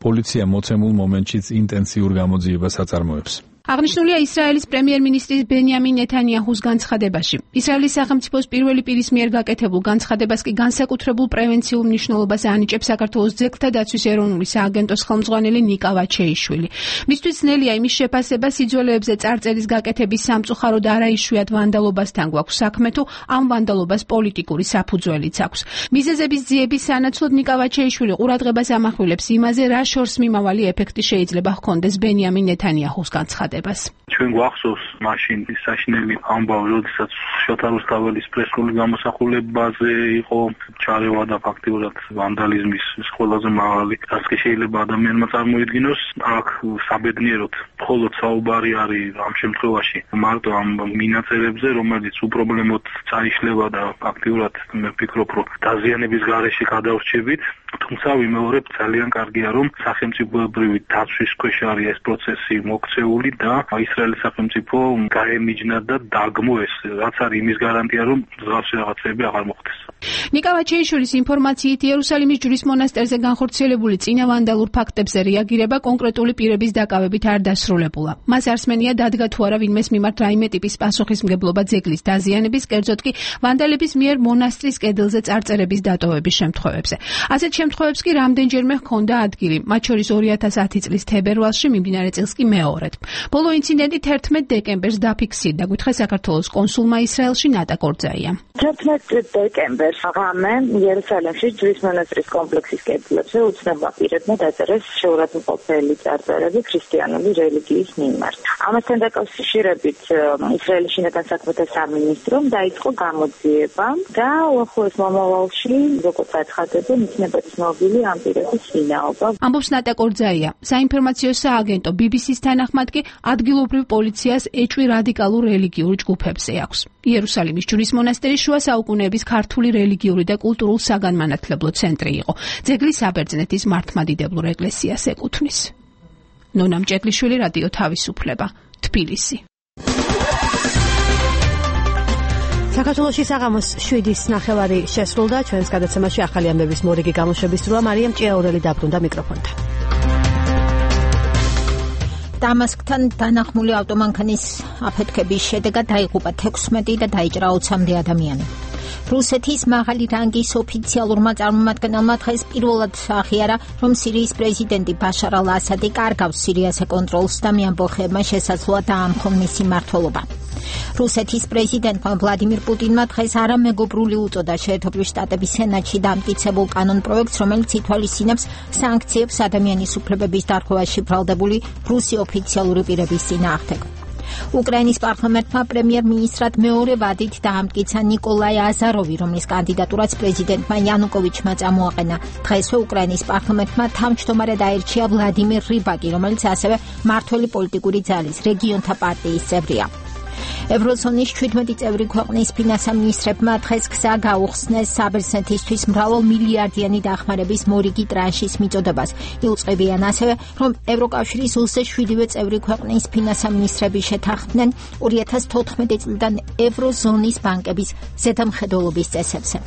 პოლიცია მოცემულ მომენტშიც ინტენსიურ გამოძიებას აწარმოებს. აღნიშნულია ისრაელის პრემიერ-მინისტრის ბენიამინ ნეთანიაჰუს განცხადებაში. ისრაელის სახელმწიფოს პირველი პირის მიერ გაკეთებულ განცხადებას კი განსაკუთრებულ პრევენციულ მნიშვნელობას ანიჭებს საქართველოს ძეგლთა დაცვის ეროვნული სააგენტოს ხელმძღვანელი ნიკა ვაჩეიშვილი. მისთვის ძნელია იმის შეფასება სიძველეებზე წარწერის გაკეთების სამწუხაროდ არაიშვიათ ვანდალობასთან გვაქვს საქმე, თუ ამ ვანდალობას პოლიტიკური საფუძველიც აქვს. მიზეზების ძიების სანაცვლოდ ნიკა ვაჩეიშვილი ყურადღებას ამახვილებს იმაზე, რა შორს მიმავალი ეფექტი შეიძლება ჰქონდეს ბენიამინ ნეთანიაჰუს განცხადებას. ჩვენ გვახსოვს მაშინ საშინელი ამბავი, როდესაც შოთა რუსთაველის პრესკული გამოსახულებაზე იყო ჩარევა და ფაქტიურად ვანდალიზმის ყველაზე მაღალი დასკი შეიძლება ადამიანმა წარმოიდგინოს. აქ საბედნიეროდ მხოლოდ საუბარი არის ამ შემთხვევაში მარტო ამ მინაწერებზე, რომელიც უპრობლემოდ წაიშლება და ფაქტიურად მე ვფიქრობ, რომ დაზიანების გარეშე გადავრჩებით. თუმცა ვიმეორებ, ძალიან კარგია, რომ სახელმწიფოებრივი დაცვის ქვეშ არის ეს პროცესი მოქცეული და ისრაელის სახელმწიფო გაემიჯნა და დაგმო ეს, რაც არის იმის გარანტია, რომ მსგავსი რაღაცები აღარ მოხდეს. ნიკა ვაჩეიშვილის ინფორმაციით იერუსალიმის ჯვრის მონასტერზე განხორციელებული წინავანდალურ ფაქტებზე რეაგირება კონკრეტული პირების დაკავებით არ დასრულებულა. მას არსმენია დადგა თუ არა ვინმეს მიმართ რაიმე ტიპის პასუხისმგებლობა ძეგლის დაზიანების, კერძოდ კი ვანდალების მიერ მონასტრის კედელზე წარწერების დატოვების შემთხვევებზე. ასეთ შემთხვევებს კი რამდენჯერმე ჰქონდა ადგილი, მათ შორის 2010 წლის თებერვალში, მიმდინარე წელს კი მეორედ. ბოლო ინციდენტი 11 დეკემბერს დაფიქსირდა, გითხრა საქართველოს კონსულმა ისრაელში ნატა კორძაია. 11 დეკემბერს ღამე იერუსალიმში ჯვრის მონასტრის კომპლექსის კედლებზე უცნობმა პირებმა დაწერეს შეურაცხმყოფელი წარწერები ქრისტიანული რელიგიის მიმართ. ამასთან დაკავშირებით ისრაელის შინაგან საქმეთა სამინისტრომ დაიწყო გამოძიება და უახლოეს მომავალში, როგორც აცხადებენ, იქნება ცნობილი ამ პირების ვინაობა. ამბობს ნატა კორძაია. საინფორმაციო სააგენტო BBC-ს თანახმად კი ადგილობრივ პოლიციას ეჭვი რადიკალურ რელიგიურ ჯგუფებზე აქვს. იერუსალიმის ჯვრის მონასტერი შუა საუკუნეების ქართული რელიგიური და კულტურულ საგანმანათლებლო ცენტრი იყო. ძეგლი საბერძნეთის მართლმადიდებლურ ეკლესიას ეკუთვნის. ნონა მჭედლიშვილი, რადიო თავისუფლება, თბილისი. საქართველოში საღამოს 7:09 შესრულდა. ჩვენს გადაცემაში ახალი ამბების მორიგი გამოშვების სრულა. მარიამ ჭიაურელი დაბრუნდა მიკროფონთან. დამასკთან დანახმული ავტომანქანის აფეთქების შედეგად დაიღუპა 16 და დაიჭრა 20-მდე ადამიანი. რუსეთის მაღალი რანგის ოფიციალურმა წარმომადგენელმა დღეს პირველად აღიარა, რომ სირიის პრეზიდენტი ბაშარ ალ-ასადი კარგავს სირიას ეკონტროლს და მეამბოხეებმა შესაძლოა დაამხონ მისი მმართველობა. რუსეთის პრეზიდენტმა ვლადიმირ პუტინმა დღეს არამეგობრული უწოდა შეერთებული შტატების სენატში დამტკიცებულ კანონპროექტს, რომელიც ითვალისწინებს სანქციებს ადამიანის უფლებების დარღვევაში ბრალდებული რუსი ოფიციალური პირების წინააღმდეგ. უკრაინის პარლამენტმა პრემიერ-მინისტრად მეორე ვადით დაამტკიცა ნიკოლაი აზაროვი, რომლის კანდიდატურაც პრეზიდენტმა იანუკოვიჩმა წამოაყენა. დღესვე უკრაინის პარლამენტმა თავმჯდომარედ აირჩია ვლადიმირ რიბაკი, რომელიც ასევე მმართველი პოლიტიკური ძალის რეგიონთა პარტიის წევრია. ევროზონის 17 წევრი ქვეყნის ფინანსამინისტრებმა დღეს გზა გაუხსნეს საბერძნეთისთვის მრავალმილიარდიანი დახმარების მორიგი ტრანშის მიწოდებას. იუწყებიან ასევე, რომ ევროკავშირის 27 წევრი ქვეყნის ფინანსამინისტრები შეთანხმდნენ 2014 წლიდან ევროზონის ბანკების ზედამხედველობის წესებზე.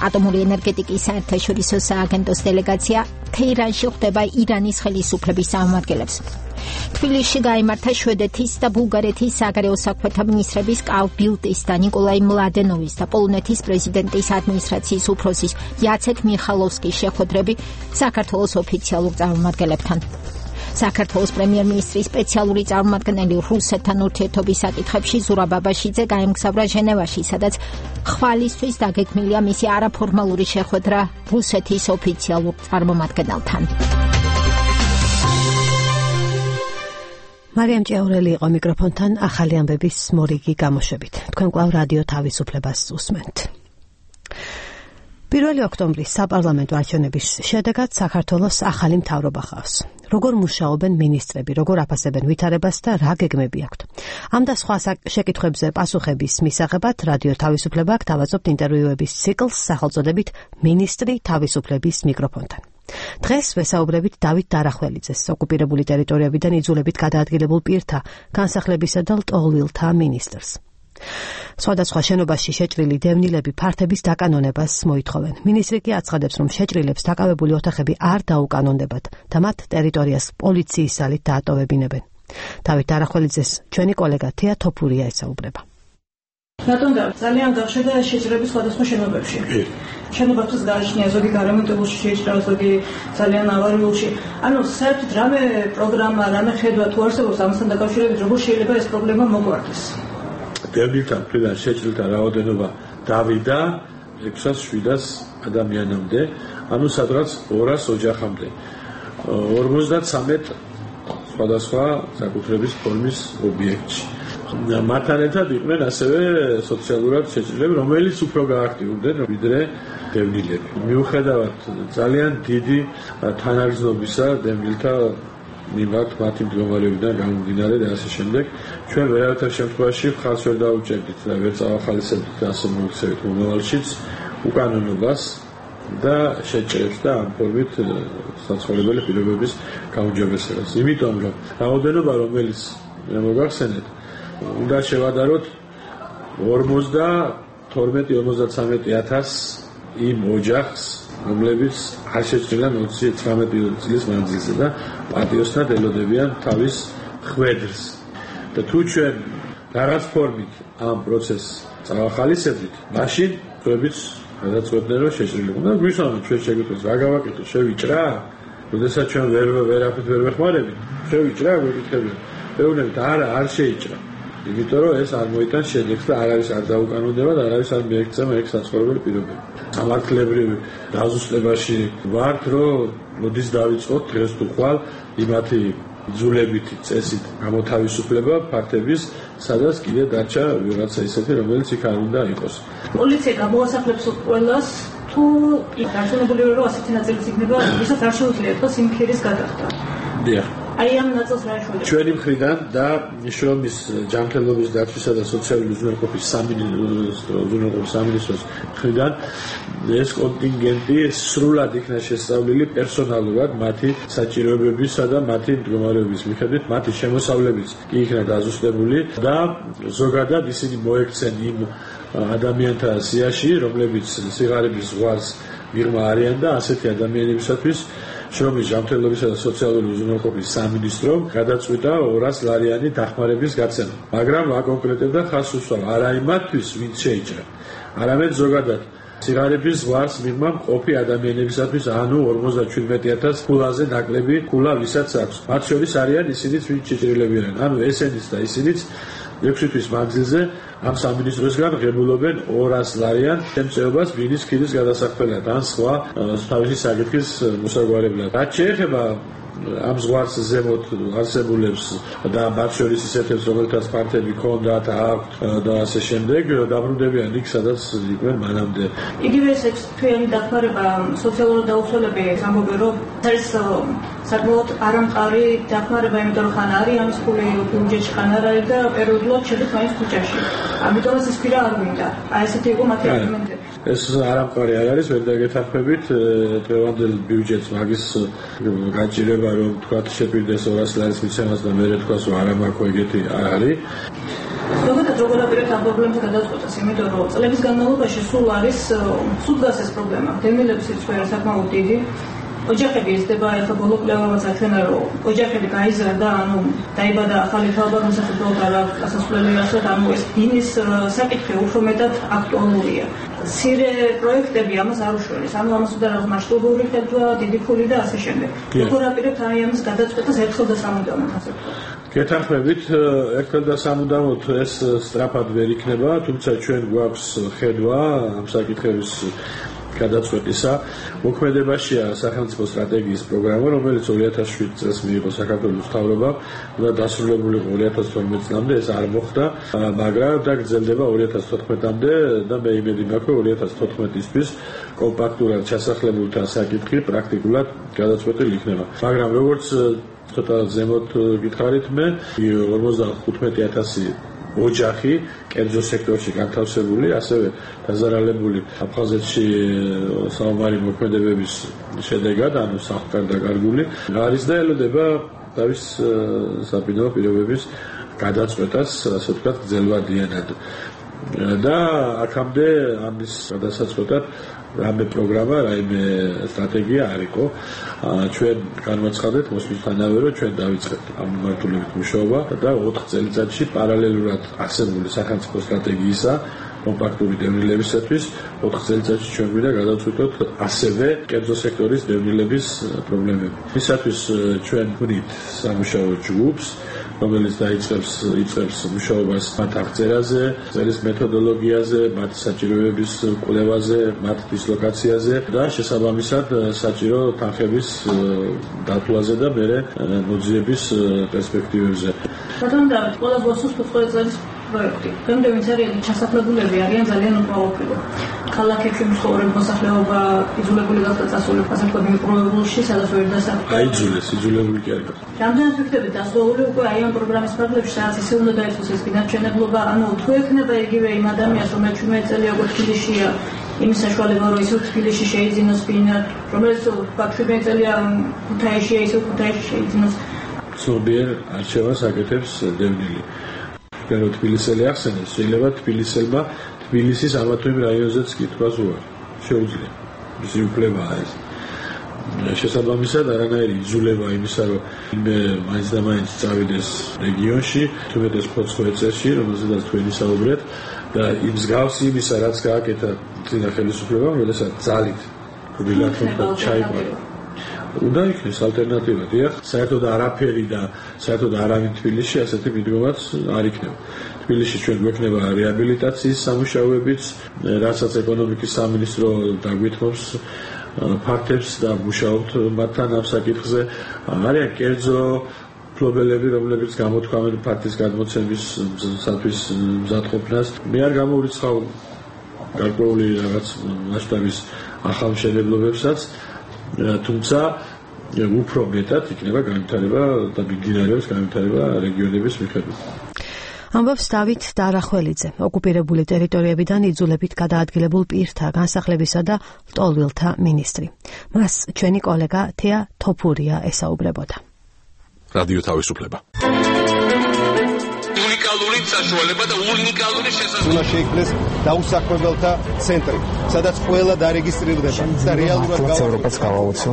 ატომური ენერგეტიკის საერთაშორისო სააგენტოს დელეგაცია თეირანში ხვდება ირანის ხელისუფლების წარმომადგენლებს. თბილისში გაიმართა შვედეთის და ბულგარეთის საგარეო საქმეთა მინისტრების კარლ ბილტის და ნიკოლაი მლადენოვის და პოლონეთის პრეზიდენტის ადმინისტრაციის უფროსის იაცეკ მიხალოვსკის შეხვედრები საქართველოს ოფიციალურ წარმომადგენლებთან. საქართველოს პრემიერ-მინისტრის სპეციალური წარმომადგენელი რუსეთთან ურთიერთობის საკითხებში ზურაბ ბაბაშიძე გაემგზავრა ჟენევაში, სადაც ხვალისთვის დაგეგმილია მისი არაფორმალური შეხვედრა რუსეთის ოფიციალურ წარმომადგენელთან. მარიამ ჭიაურელი იყო მიკროფონთან ახალი ამბების მორიგი გამოშვებით. თქვენ კვლავ რადიო თავისუფლებას უსმენთ. 1 ოქტომბრის საპარლამენტო არჩევნების შედეგად საქართველოს ახალი მთავრობა ჰყავს. როგორ მუშაობენ მინისტრები, როგორ აფასებენ ვითარებას და რა გეგმები აქვთ. ამ და სხვა შეკითხვებზე პასუხების მისაღებად რადიო თავისუფლება გთავაზობთ ინტერვიუების ციკლს სახელწოდებით მინისტრი თავისუფლების მიკროფონთან. დღეს ვესაუბრებით დავით დარახველიძეს, ოკუპირებული ტერიტორიებიდან იძულებით გადაადგილებულ პირთა, განსახლებისა და ლტოლვილთა მინისტრს. სხვადასხვა შენობაში შეჭრილი დევნილები ფართების დაკანონებას მოითხოვენ. მინისტრი კი აცხადებს, რომ შეჭრილებს დაკავებული ოთახები არ დაუკანონდებათ და მათ ტერიტორიას პოლიციის ძალით დაატოვებინებენ. დავით დარახველიძეს ჩვენი კოლეგა თია თოფურია ესაუბრება. რატომ ძალიან გავშედა შეჭრების სხვადასხვა შენობებში. შენობებს გააჩნია ზოგი გარემონტებულში შეჭრა, ზოგი ძალიან ავარიულში. ანუ საერთოდ რამე პროგრამა, რამე ხედვა თუ არსებობს ამასთან დაკავშირებით, როგორ შეიძლება ეს პრობლემა მოგვარდეს? დევნილთა მხრიდან შეჭრილთა რაოდენობა დავიდა 600-700 ადამიანამდე, ანუ სადღაც 200 ოჯახამდე. 53 სხვადასხვა საკუთრების ფორმის ობიექტში. მათთან ერთად იყვნენ ასევე სოციალურად შეჭრილები, რომელიც უფრო გააქტიურდნენ ვიდრე დევნილები. მიუხედავად ძალიან დიდი თანაგრძნობისა დევნილთა მიმართ მათი მდგომარეობიდან გამომდინარე და ასე შემდეგ, ჩვენ ვერავითარ შემთხვევაში ხალხს ვერ დაუჭერდით და ვერ წავახალისებდით ასე მოიქცევით მომავალშიც უკანონობას და შეჭრებს და ამ ფორმით საცხოვრებელი პირობების გაუმჯობესებას. იმიტომ რომ რაოდენობა, რომელიც მოგახსენეთ, უნდა შევადაროთ 52-53,000 იმ ოჯახს, რომლებიც არ შეჭრილან 19 წლის მანძილზე და პატიოსნად ელოდებიან თავის ხვედრს. და თუ ჩვენ რაღაც ფორმით ამ პროცესს წავახალისებდით, მაშინ ჩვენც გადაწყვეტდნენ, რომ შეჭრილიყო. და გვისვამთ ჩვენ შეგეძლოს რა გავაკეთოთ, შევიჭრა? როდესაც ჩვენ ვერაფრით ვერ ვეხმარებით, შევიჭრა, გვეკითხებიან. მეუბნებით არ შეიჭრა. იმიტომ რომ ეს არ მოიტანს შედეგს და არ არის არ დაუკანონდება და არ არის არ მიექცევა ეგ საცხოვრებელი პირობები. სამართლებრივი დაზუსტებაში ვართ, რომ მოდის დავიწყოთ დღეს თუ ხვალ იმათი იძულებითი წესით გამოთავისუფლება ფაქტების, სადაც კიდე დარჩა ვიღაცა ისეთი, რომელიც იქ არ უნდა იყოს. პოლიცია გამოასახლებს ყველას თუ დარწმუნებული ვარ, რომ ასეთი ნაწილიც იქნება, ვისაც არ შეუძლია დღეს იმ ქირის გადახდა. დიახ. აი ამ ნაწილს რა შეუძლია? ჩვენი მხრიდან და შრომის ჯანმრთელობის დაცვისა და სოციალური უზრუნველყოფის სამინისტროს მხრიდან ეს კონტინგენტი სრულად იქნა შესწავლილი პერსონალურად მათი საჭიროებებისა და მათი მდგომარეობის მიხედვით, მათი შემოსავლებიც კი იქნა დაზუსტებული და ზოგადად ისინი მოექცენ იმ ადამიანთა სიაში, რომლებიც სიღარიბის ზღვარს მიღმა არიან და ასეთი ადამიანებისათვის შრომის ჯანმრთელობისა და სოციალური უზრუნველყოფის სამინისტრომ გადაწყვიტა 200 ლარიანი დახმარების გაცემა. მაგრამ აკონკრეტებდა ხაზს უსვამს არა იმათთვის, ვინც შეიჭრა, არამედ ზოგადად სიღარიბის ზღვარს მიღმა მყოფი ადამიანებისათვის, ანუ 57,000 ფულაზე ნაკლები ფულა ვისაც აქვს. მათ შორის არიან ისინიც, ვინც შეჭრილებიან, ანუ ესენიც და ისინიც 6 თვის მანძილზე ამ სამინისტროსგან ღებულობენ 200 ლარიან შემწეობას ბინის ქირის გადასახდელად ან სხვა თავისი საკითხის მოსაგვარებლად. რაც შეეხება ამ ზღვარს ზემოთ არსებულებს და მათ შორის ისეთებს, რომელთაც ფართები ჰქონდათ, აქვთ და ასე შემდეგ, დაბრუნდებიან იქ, სადაც იყვნენ მანამდე. იგივე ეს თვიანი დახმარება სოციალური დაუცველების ამბობენ, რომ ეს საკმაოდ არამყარი დახმარება, იმიტომ რომ ხან არის ამის ფული ბიუჯეტში, ხან არ არის და პერიოდულად შედის მაინც ქუჩაში. ამიტომ ეს ფირა არ მინდა. აი ესეთი იყო მათი არგუმენტები. ეს არამყარი არ არის, ვერ დაგეთანხმებით დღევანდელ ბიუჯეტს მაგის გაჭირება, რომ თქვა შეპირდეს 200 ლარის მიცემას და მერე თქვას, რომ არა მაქვს ეგეთი არ არის. ზოგადად როგორ აპირებთ ამ პრობლემას გადაწყვეტას, იმიტომ რომ წლების განმავლობაში სულ დგას ეს პრობლემა. დევნილების სიცხე საკმაოდ დიდი. ოჯახები იზრდება, ეხლა ბოლო კვლევებაც აჩვენა, რომ ოჯახები გაიზარდა, ანუ დაიბადა ახალი თაობა, მოსახლეობა არ აქვს ასასვლელი ასეთ, ანუ ეს ბინის საკითხი უფრო მეტად აქტუალურია. მცირე პროექტები ამას არ უშველეს, ანუ ამას უნდა რაღაც მასშტაბური ხედვა, დიდი ფული და ასე შემდეგ. როგორ აპირებთ აი ამის გადაწყვეტას ერთხელ და სამუდამოდ ასე ვთქვათ? გეთანხმებით, ერთხელ და სამუდამოდ ეს სწრაფად ვერ იქნება, თუმცა ჩვენ გვაქვს ხედვა ამ საკითხების გადაწყვეტისა. მოქმედებაშია სახელმწიფო სტრატეგიის პროგრამა, რომელიც 2007 წელს მიიღო საქართველოს მთავრობამ და დასრულებული იყო 2012 წლამდე, ეს არ მოხდა, მაგრამ და გრძელდება 2014-მდე და მე იმედი მაქვს, რომ 2014-ისთვის კომპაქტურად ჩასახლებულთა საკითხი პრაქტიკულად გადაწყვეტილი იქნება. მაგრამ როგორც ცოტა ზემოთ გითხარით მე, 55,000 ოჯახი კერძო სექტორში განთავსებული, ასევე დაზარალებული აფხაზეთში საომარი მოქმედებების შედეგად, ანუ სახლგარდაკარგული არის და ელოდება თავის საბინაო პირობების გადაწყვეტას, ასე ვთქვათ, გრძელვადიანად. და აქამდე ამის გადასაწყვეტად რამე პროგრამა, რაიმე სტრატეგია არ იყო. ჩვენ განვაცხადეთ მოსვლისთანავე, რომ ჩვენ დავიწყეთ ამ მიმართულებით მუშაობა და 4 წელიწადში პარალელურად არსებული სახელმწიფო სტრატეგიისა კომპაქტური დევნილებისათვის 4 წელიწადში ჩვენ გვინდა გადავწყვიტოთ ასევე კერძო სექტორის დევნილების პრობლემები. მისათვის ჩვენ გვინით სამუშაო ჯგუფს, რომელიც იწყებს მუშაობას მათ აღწერაზე, წერის მეთოდოლოგიაზე, მათ საჭიროებების კვლევაზე, მათ დისლოკაციაზე და შესაბამისად საჭირო თანხების დათვლაზე და მერე მოძიების პერსპექტივებზე. ბატონო დავით, ყველა ბოსოს 5 წელიწადის პროექტი. გამდე ვინც არიან ჩასახლებულები არიან ძალიან უკმაყოფილო. ქალაქებში მსხვილ მოსახლეობა იძულებული გახდა წასულიყო ასეთქვათ მიკრორეგიონში, სადაც ვერ დასახლდა. იძულებული კი არ იყო. რამდენად ვიქნებით დასავლური უკვე აი ამ პროგრამის ფარგლებში, სადაც ისე უნდა დაიწყოს ეს განაჩენებლობა, ანუ თუ ექნება იგივე იმ ადამიანს, რომელიც 18 წელი როგორ თბილისშია, იმის საშუალება, რომ ისევ თბილისში შეიძინოს ბინა, რომელიც 17 წელია ქუთაისშია, ისევ ქუთაისში შეიძინოს. ზოგიერთ არჩევას აკეთებს დევნილი. რომ თბილისელი ახსენებს, შეიძლება თბილისელმა თბილისის ამა თუ იმ რაიონზეც კითხვას უარი. შეუძლია. მისი უფლებაა ეს. შესაბამისად არანაირი იძულება იმისა, რომ მე მაინც და მაინც წავიდეს რეგიონში, თუმეტეს ფოცხოე წესში, რომელზედაც თქვენი საუბრეთ და იმ მსგავსი იმისა, რაც გააკეთა წინა ხელისუფლებამ, როდესაც ძალით გულიდან ჩაიყვანა. უნდა იქნეს ალტერნატივა, დიახ, საერთოდ არაფერი და საერთოდ არავინ თბილისში ასეთი მიდგომაც არ იქნება. თბილისში ჩვენ გვექნება რეაბილიტაციის სამუშაოებიც, რასაც ეკონომიკის სამინისტრო დაგვითმობს ფაქტებს და მუშაობთ მათთან ამ საკითხზე. არიან კერძო ფლობელები, რომლებიც გამოთქვამენ ფაქტის გადმოცემისათვის მზადყოფნას. მე არ გამოვრიცხავ გარკვეული რაღაც მასშტაბის ახალ მშენებლობებსაც, თუმცა უფრო მეტად იქნება განვითარება და მიმდინარეობს განვითარება რეგიონების მიხედვით. ამბობს დავით დარახველიძე, ოკუპირებული ტერიტორიებიდან იძულებით გადაადგილებულ პირთა განსახლებისა და ლტოლვილთა მინისტრი. მას ჩვენი კოლეგა თეა თოფურია ესაუბრებოდა. რადიო თავისუფლება. უნიკალური საშუალება და უნიკალური შესაძლებლობა. უნდა შეიქმნეს დაუსაქმებელთა ცენტრი, სადაც ყველა დარეგისტრირდება და რეალურად ევროპას გავაუცო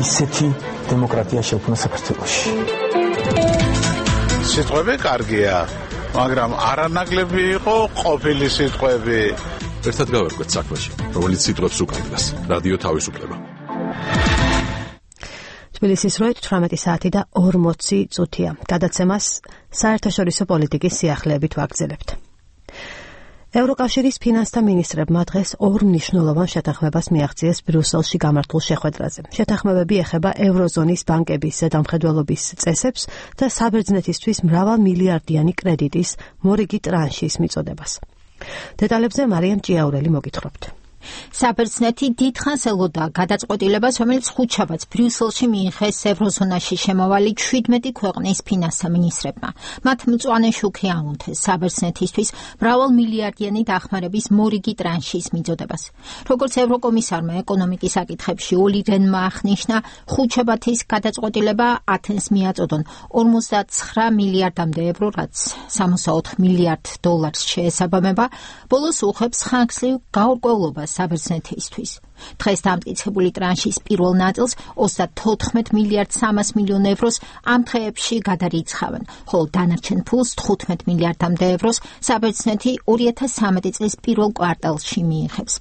ისეთი დემოკრატია შექმნა საქართველოში. სიტყვები კარგია, მაგრამ არანაკლები იყო ყოფილი სიტყვები. ერთად გავერკვეთ საქმეში, რომელიც სიტყვებს უკავშირდება. რადიო თავისუფლება. თბილისის 18 საათი და 40 წუთია. გადაცემას საერთაშორისო პოლიტიკის სიახლეებით ვაგრძელებთ. ევროკავშირის ფინანსთა მინისტრებმა დღეს ორ მნიშვნელოვან შეთანხმებას მიაღწიეს ბრიუსელში გამართულ შეხვედრაზე. შეთანხმებები ეხება ევროზონის ბანკების ზედამხედველობის წესებს და საბერძნეთისთვის მრავალმილიარდიანი კრედიტის მორიგი ტრანშის მიწოდებას. დეტალებზე მარიამ ჭიაურელი მოგითხრობთ. საბერძნეთი დიდხანს ელოდა გადაწყვეტილებას, რომელიც ხუთშაბათს ბრიუსელში მიიღეს ევროზონაში შემავალი 17 ქვეყნის ფინანსთა მინისტრებმა. მათ მწვანე შუქი აუნთეს საბერძნეთისთვის მრავალმილიარდიანი დახმარების მორიგი ტრანშის მიწოდებას. როგორც ევროკომისარმა ეკონომიკის საკითხებში ოლი რენმა აღნიშნა, ხუთშაბათის გადაწყვეტილება ათენს მიაწოდონ 59 მილიარდამდე ევრო, რაც 64 მილიარდ დოლარს შეესაბამება, ბოლოს უხებს ხანგრძლივ გაურკვევლობას საბერძნეთისთვის. დღეს დამტკიცებული ტრანშის პირველ ნაწილს 34 მილიარდ 300 მილიონ ევროს ამ დღეებში გადარიცხავენ, ხოლო დანარჩენ ფულს 15 მილიარდამდე ევროს საბერძნეთი 2013 წლის პირველ კვარტალში მიიღებს.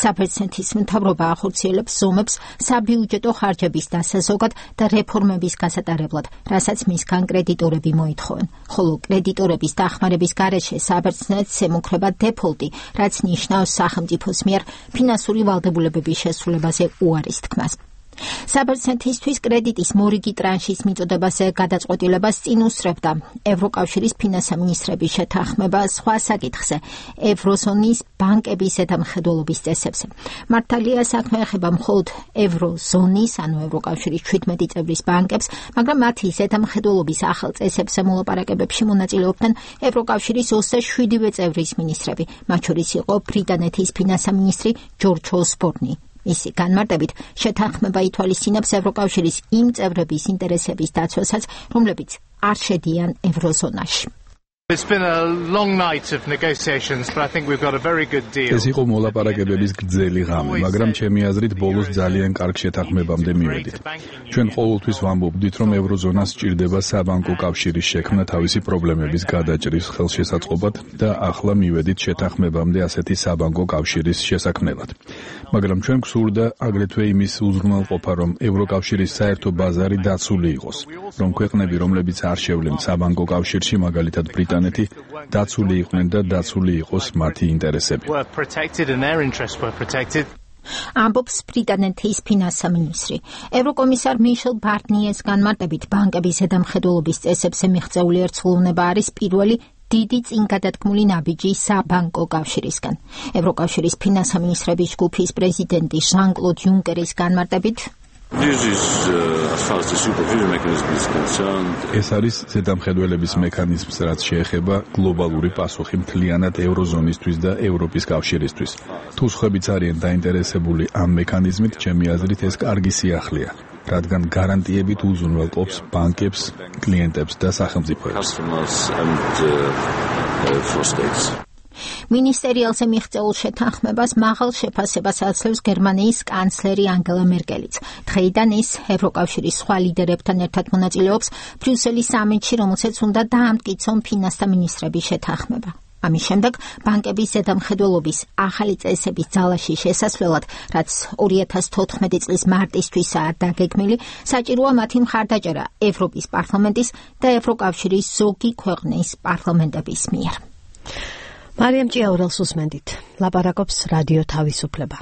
საბერძნეთის მთავრობა ახორციელებს ზომებს საბიუჯეტო ხარჯების დასაზოგად და რეფორმების გასატარებლად, რასაც მისგან კრედიტორები მოითხოვენ, ხოლო კრედიტორების დახმარების გარეშე საბერძნეთს ემუქრება დეფოლტი, რაც ნიშნავს სახელმწიფოს მიერ ფინანსური ვალდებულებების შესრულებაზე უარის თქმას. საბერძნეთისთვის კრედიტის მორიგი ტრანშის მიწოდებაზე გადაწყვეტილებას წინ უსწრებდა ევროკავშირის ფინანსთა მინისტრების შეთანხმება სხვა საკითხზე, ევროზონის ბანკების ზედამხედველობის წესებზე. მართალია საქმე ეხება მხოლოდ ევროზონის, ანუ ევროკავშირის 17 წევრის ბანკებს, მაგრამ მათი ზედამხედველობის ახალ წესებზე მოლაპარაკებებში მონაწილეობდნენ ევროკავშირის 27 წევრის მინისტრები, მათ შორის იყო ბრიტანეთის ფინანსთა მინისტრი ჯორჯ ოსბორნი. მისი განმარტებით, შეთანხმება ითვალისწინებს ევროკავშირის იმ წევრების ინტერესების დაცვასაც, რომლებიც არ შედიან ევროზონაში. It's been a long night of negotiations, but I think we've got a very good deal. ეს იყო მოლაპარაკებების გრძელი ღამე, მაგრამ ჩემი აზრით ბოლოს ძალიან კარგ შეთანხმებამდე მივედით. ჩვენ ყოველთვის ვამბობდით, რომ ევროზონას სჭირდება საბანკო კავშირის შექმნა თავისი პრობლემების გადაჭრის ხელშესაწყობად და ახლა მივედით შეთანხმებამდე ასეთი საბანკო კავშირის შესაქმნელად. მაგრამ ჩვენ გვსურდა აგრეთვე იმის უზრუნველყოფა, რომ ევროკავშირის საერთო ბაზარი დაცული იყოს, რომ ქვეყნები, რომლებიც არ შევლენ საბანკო კავშირში, მაგალითად ბრიტანეთი, დაცული იყვნენ და დაცული იყოს მათი ინტერესები. ამბობს ბრიტანეთის ფინანსთა მინისტრი. ევროკომისარ მიშელ ბარნიეს განმარტებით, ბანკების ზედამხედველობის წესებზე მიღწეული ერთსრულოვნება არის პირველი დიდი წინგადადგმული ნაბიჯი საბანკო კავშირისგან. ევროკავშირის ფინანსთა მინისტრების ჯგუფის პრეზიდენტი ჟან-კლოდ იუნკერის განმარტებით, ეს არის ზედამხედველების მექანიზმს, რაც შეეხება გლობალური პასუხი მთლიანად ევროზონისთვის და ევროპის კავშირისთვის. თუ სხვაებიც არიან დაინტერესებული ამ მექანიზმით, ჩემი აზრით ეს კარგი სიახლეა, რადგან გარანტიებით უზრუნველყოფს ბანკებს, კლიენტებს და სახელმწიფოებს. მინისტერიალზე მიღწეულ შეთანხმებას მაღალ შეფასებას აძლევს გერმანიის კანცლერი ანგელა მერკელიც. დღეიდან ის ევროკავშირის სხვა ლიდერებთან ერთად მონაწილეობს ბრიუსელის სამიტში, რომელსაც უნდა დაამტკიცონ ფინანსთა მინისტრების შეთანხმება. ამის შემდეგ ბანკების ზედამხედველობის ახალი წესების ძალაში შესასვლელად, რაც 2014 წლის მარტისთვისაა დაგეგმილი, საჭიროა მათი მხარდაჭერა ევროპის პარლამენტის და ევროკავშირის ზოგი ქვეყნის პარლამენტების მიერ. მარიამ ჭიაურელს უსმენდით. ლაპარაკობს რადიო თავისუფლება.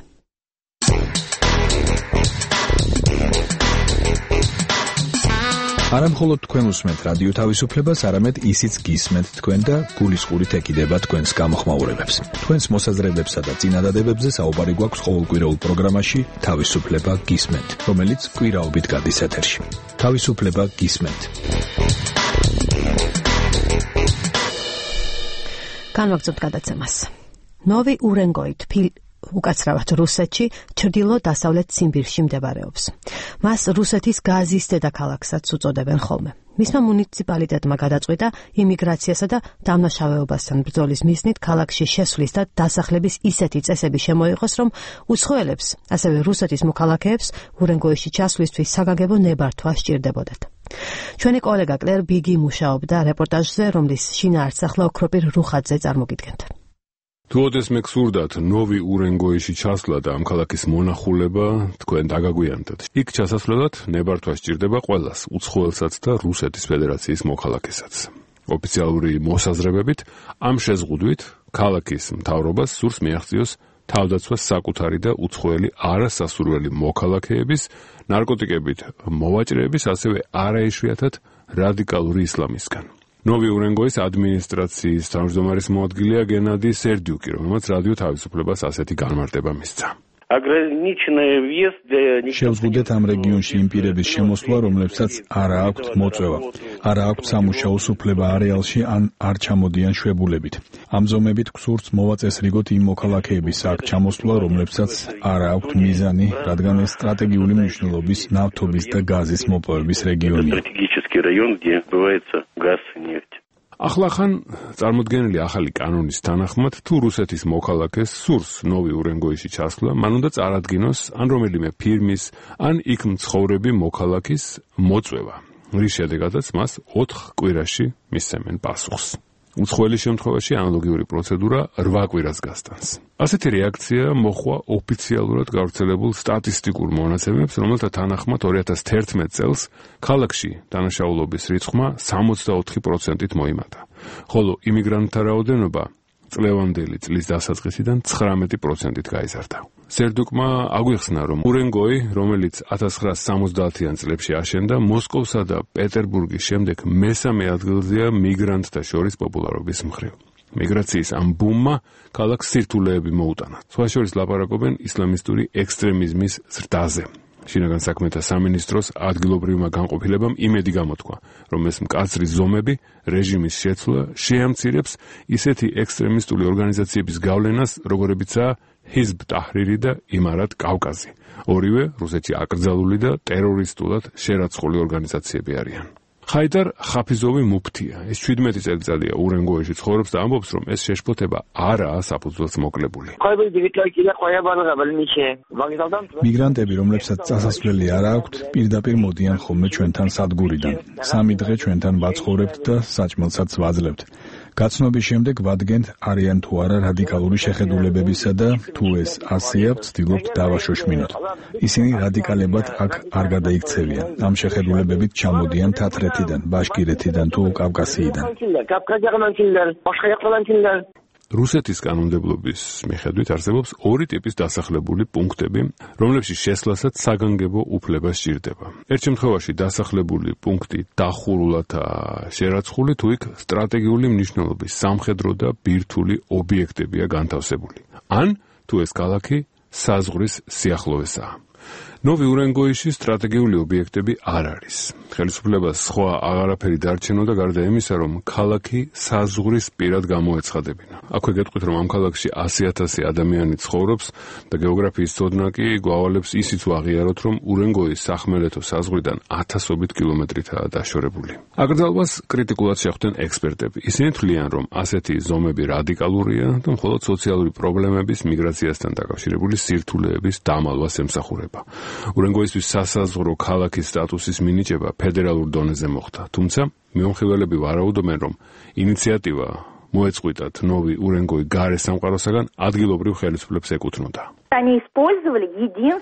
არა მხოლოდ თქვენ უსმენთ რადიო თავისუფლებას, არამედ ისიც გისმენთ თქვენ და გულისყურით ეკიდება თქვენს გამოხმაურებებს. თქვენს მოსაზრებებსა და წინადადებებზე საუბარი გვაქვს ყოველკვირეულ პროგრამაში თავისუფლება გისმენთ, რომელიც კვირაობით გადის ეთერში. თავისუფლება გისმენთ. განვაგრძობთ გადაცემას. ნოვი ურენგოი უკაცრავად რუსეთში, ჩრდილო-დასავლეთ ციმბირში მდებარეობს. მას რუსეთის გაზის დედაქალაქსაც უწოდებენ ხოლმე. მისმა მუნიციპალიტეტმა გადაწყვიტა იმიგრაციასა და დამნაშავეობასთან ბრძოლის მიზნით ქალაქში შესვლის და დასახლების ისეთი წესები შემოიღოს, რომ უცხოელებს, ასევე რუსეთის მოქალაქეებს ურენგოიში ჩასვლისთვის საგანგებო ნებართვა სჭირდებოდათ. ჩვენი კოლეგა კლერ ბიგი მუშაობდა რეპორტაჟზე, რომლის შინაარსს ახლა ოქროპირ რუხაძე წარმოგიდგენთ. თუ ოდესმე გსურდათ ნოვი ურენგოიში ჩასვლა და ამ ქალაქის მონახულება, თქვენ დაგაგვიანდათ. იქ ჩასასვლელად ნებართვა სჭირდება ყველას, უცხოელსაც და რუსეთის ფედერაციის მოქალაქესაც. ოფიციალური მოსაზრებებით, ამ შეზღუდვით ქალაქის მთავრობას სურს მიაღწიოს თავდაცვას საკუთარი და უცხოელი არასასურველი მოქალაქეების, ნარკოტიკებით მოვაჭრეების, ასევე არაიშვიათად რადიკალური ისლამისგან. ნოვი ურენგოის ადმინისტრაციის თავმჯდომარის მოადგილეა გენადი სერდიუკი, რომელმაც რადიო თავისუფლებას ასეთი განმარტება მისცა. შევზღუდეთ ამ რეგიონში იმ პირების შემოსვლა, რომლებსაც არა აქვთ მოწვევა, არა აქვთ სამუშაო უფლება არეალში ან არ ჩამოდიან შვებულებით. ამ ზომებით გსურთ მოვაწესრიგოთ იმ მოქალაქეების აქ ჩამოსვლა, რომლებსაც არა აქვთ მიზანი, რადგან ეს სტრატეგიული მნიშვნელობის ნავთობის და გაზის მოპოვების რეგიონია. ახლახან წარმოდგენილი ახალი კანონის თანახმად, თუ რუსეთის მოქალაქეს სურს ნოვი ურენგოიში ჩასვლა, მან უნდა წარადგინოს ან რომელიმე ფირმის, ან იქ მცხოვრები მოქალაქის მოწვევა, რის შედეგადაც მას 4 კვირაში მისცემენ პასუხს. უცხოელის შემთხვევაში ანალოგიური პროცედურა 8 კვირას გასტანს. ასეთი რეაქცია მოჰყვა ოფიციალურად გავრცელებულ სტატისტიკურ მონაცემებს, რომელთა თანახმად 2011 წელს ქალაქში დანაშაულობის რიცხვმა 64%-ით მოიმატა, ხოლო იმიგრანტთა რაოდენობა წლევანდელი წლის დასაწყისიდან 19%-ით გაიზარდა. სერდუკმა აგვიხსნა, რომ ურენგოი, რომელიც 1970-იან წლებში აშენდა, მოსკოვსა და პეტერბურგის შემდეგ მესამე ადგილზეა მიგრანტთა შორის პოპულარობის მხრივ. მიგრაციის ამ ბუმმა ქალაქს სირთულეები მოუტანა. სხვა შორის ლაპარაკობენ ისლამისტური ექსტრემიზმის ზრდაზე. შინაგან საქმეთა სამინისტროს ადგილობრივმა განყოფილებამ იმედი გამოთქვა, რომ ეს მკაცრი ზომები რეჟიმის შეცვლა შეამცირებს ისეთი ექსტრემისტული ორგანიზაციების გავლენას, როგორებიცაა ჰიზბ ტაჰრირი და იმარატ კავკაზი. ორივე რუსეთში აკრძალული და ტერორისტულად შერაცხული ორგანიზაციები არიან. ხაიდარ ხაფიზოვი მუფთია. ეს 17 წელიწადია ურენგოიში ცხოვრობს და ამბობს, რომ ეს შეშფოთება არაა საფუძველს მოკლებული. მიგრანტები, რომლებსაც წასასვლელი არ აქვთ, პირდაპირ მოდიან ხოლმე ჩვენთან სადგურიდან. 3 დღე ჩვენთან ვაცხოვრებთ და საჭმელსაც ვაძლევთ. გაცნობის შემდეგ ვადგენთ არიან თუ არა რადიკალური შეხედულებებისა და თუ ეს ასეა, ვცდილობთ დავაშოშმინოთ. ისინი რადიკალებად აქ არ გადაიქცევიან. ამ შეხედულებებით ჩამოდიან თათრეთიდან, ბაშკირეთიდან თუ კავკასიიდან. რუსეთის კანონმდებლობის მიხედვით არსებობს 2 ტიპის დასახლებული პუნქტები, რომლებშიც შესვლასაც საგანგებო უფლება სჭირდება. ერთ შემთხვევაში დასახლებული პუნქტი დახურულადაა შერაცხული, თუ იქ სტრატეგიული მნიშვნელობის სამხედრო და ბირთვული ობიექტებია განთავსებული. ან თუ ეს ქალაქი საზღვრის სიახლოვესაა. ნოვი ურენგოიში სტრატეგიული ობიექტები არ არის. ხელისუფლებას სხვა აღარაფერი დარჩენოდა გარდა იმისა, რომ ქალაქი საზღვრის პირად გამოეცხადებინა. აქვე გეტყვით, რომ ამ ქალაქში 100,000 ადამიანი ცხოვრობს და გეოგრაფიის ცოდნა კი გვავალებს ისიც ვაღიაროთ, რომ ურენგოის სახმელეთო საზღვრიდან 1000-ობით კილომეტრითაა დაშორებული. აკრძალვას კრიტიკულად შეხვდნენ ექსპერტები. ისინი თვლიან, რომ ასეთი ზომები რადიკალურია და მხოლოდ სოციალური პრობლემების, მიგრაციასთან დაკავშირებული სირთულეების დამალვას ემსახურება. ურენგოისთვის სასაზღვრო ქალაქის სტატუსის მინიჭება ფედერალურ დონეზე მოხდა, თუმცა მიმოხილველები ვარაუდობენ, რომ ინიციატივა მოეწყვიტათ ნოვი ურენგოი გარე სამყაროსაგან ადგილობრივ ხელისუფლებს ეკუთვნოდა.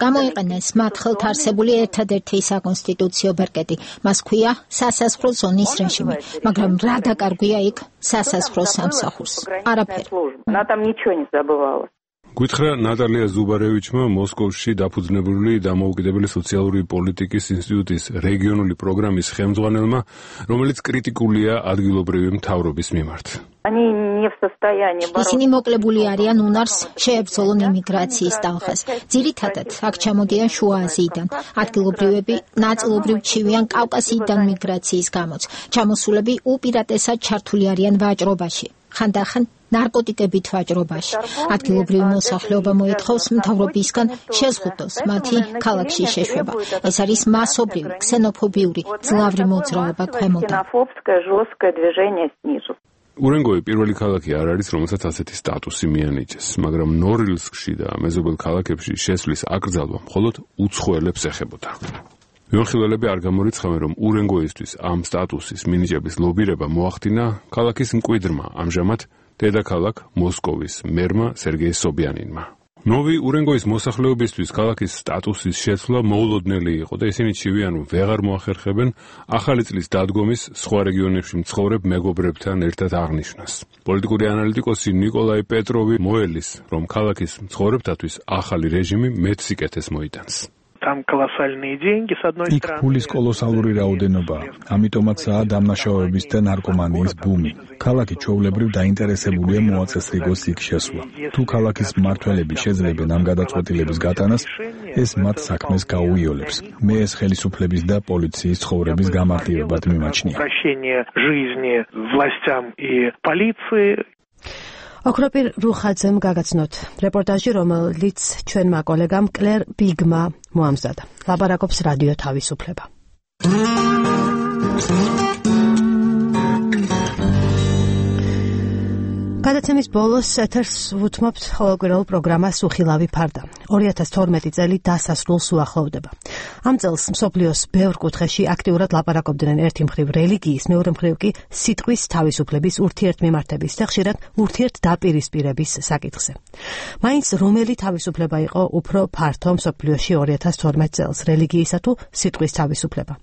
გამოიყენეს მათ ხელთ არსებული ერთადერთი საკონსტიტუციო ბერკეტი. მას ქვია სასაზღვრო ზონის რეჟიმი, მაგრამ რა დაკარგვია იქ სასაზღვრო სამსახურს? არაფერი. გითხრა ნატალია ზუბარევიჩმა მოსკოვში დაფუძნებული დამოუკიდებელი სოციალური პოლიტიკის ინსტიტუტის რეგიონული პროგრამის ხელმძღვანელმა, რომელიც კრიტიკულია ადგილობრივი მთავრობის მიმართ. ისინი მოკლებული არიან უნარს შეებრძოლონ იმიგრაციის ტალღას. ძირითადად აქ ჩამოდიან შუა აზიიდან. ადგილობრივები ნაწილობრივ ჩივიან კავკასიიდან მიგრაციის გამოც. ჩამოსულები უპირატესად ჩართული არიან ვაჭრობაში. ხანდახან ნარკოტიკებით ვაჭრობაში. ადგილობრივი მოსახლეობა მოითხოვს მთავრობისგან შეზღუდოს მათი ქალაქში შეშვება. ეს არის მასობრივი, ქსენოფობიური, ძლავრი მოძრაობა ქვემოდან. ურენგოი პირველი ქალაქი არ არის, რომელსაც ასეთი სტატუსი მიანიჭეს, მაგრამ ნორილსკში და მეზობელ ქალაქებში შესვლის აკრძალვა მხოლოდ უცხოელებს ეხებოდა. ვიმხილველები არ გამორიცხავენ, რომ ურენგოისთვის ამ სტატუსის მინიჭების ლობირება მოახდინა ქალაქის მკვიდრმა, ამჟამად დედაქალაქ მოსკოვის მერმა სერგეი სობიანინმა. ნოვი ურენგოის მოსახლეობისთვის ქალაქის სტატუსის შეცვლა მოულოდნელი იყო და ისინი ჩივიან, რომ ვეღარ მოახერხებენ ახალი წლის დადგომის სხვა რეგიონებში მცხოვრებ მეგობრებთან ერთად აღნიშვნას. პოლიტიკური ანალიტიკოსი ნიკოლაი პეტროვი მოელის, რომ ქალაქის მცხოვრებთათვის ახალი რეჟიმი მეტ სიკეთეს მოიტანს. იქ ფულის კოლოსალური რაოდენობა, ამიტომაცაა დამნაშავეების და ნარკომანიის ბუმი. ქალაქი ჩვეულებრივ დაინტერესებულია მოაწესრიგოს იქ შესვლა. თუ ქალაქის მმართველები შეძლებენ ამ გადაწყვეტილების გატანას, ეს მათ საქმეს გაუიოლებს. მე ეს ხელისუფლების და პოლიციის ცხოვრების გამარტივებად მიმაჩნია. ოქროპირ რუხაძემ გაგაცნოთ რეპორტაჟი, რომელიც ჩვენმა კოლეგამ კლერ ბიგმა მოამზადა. ლაპარაკობს რადიო თავისუფლება. გადაცემის ბოლოს ეთერს ვუთმობთ ყოველკვირეულ პროგრამას უხილავი ფარდა. 2012 წელი დასასრულს უახლოვდება. ამ წელს მსოფლიოს ბევრ კუთხეში აქტიურად ლაპარაკობდნენ ერთი მხრივ რელიგიის, მეორე მხრივ კი სიტყვის თავისუფლების ურთიერთმიმართების და ხშირად ურთიერთდაპირისპირების საკითხზე. მაინც რომელი თავისუფლება იყო უფრო ფართო მსოფლიოში 2012 წელს, რელიგიისა თუ სიტყვის თავისუფლება?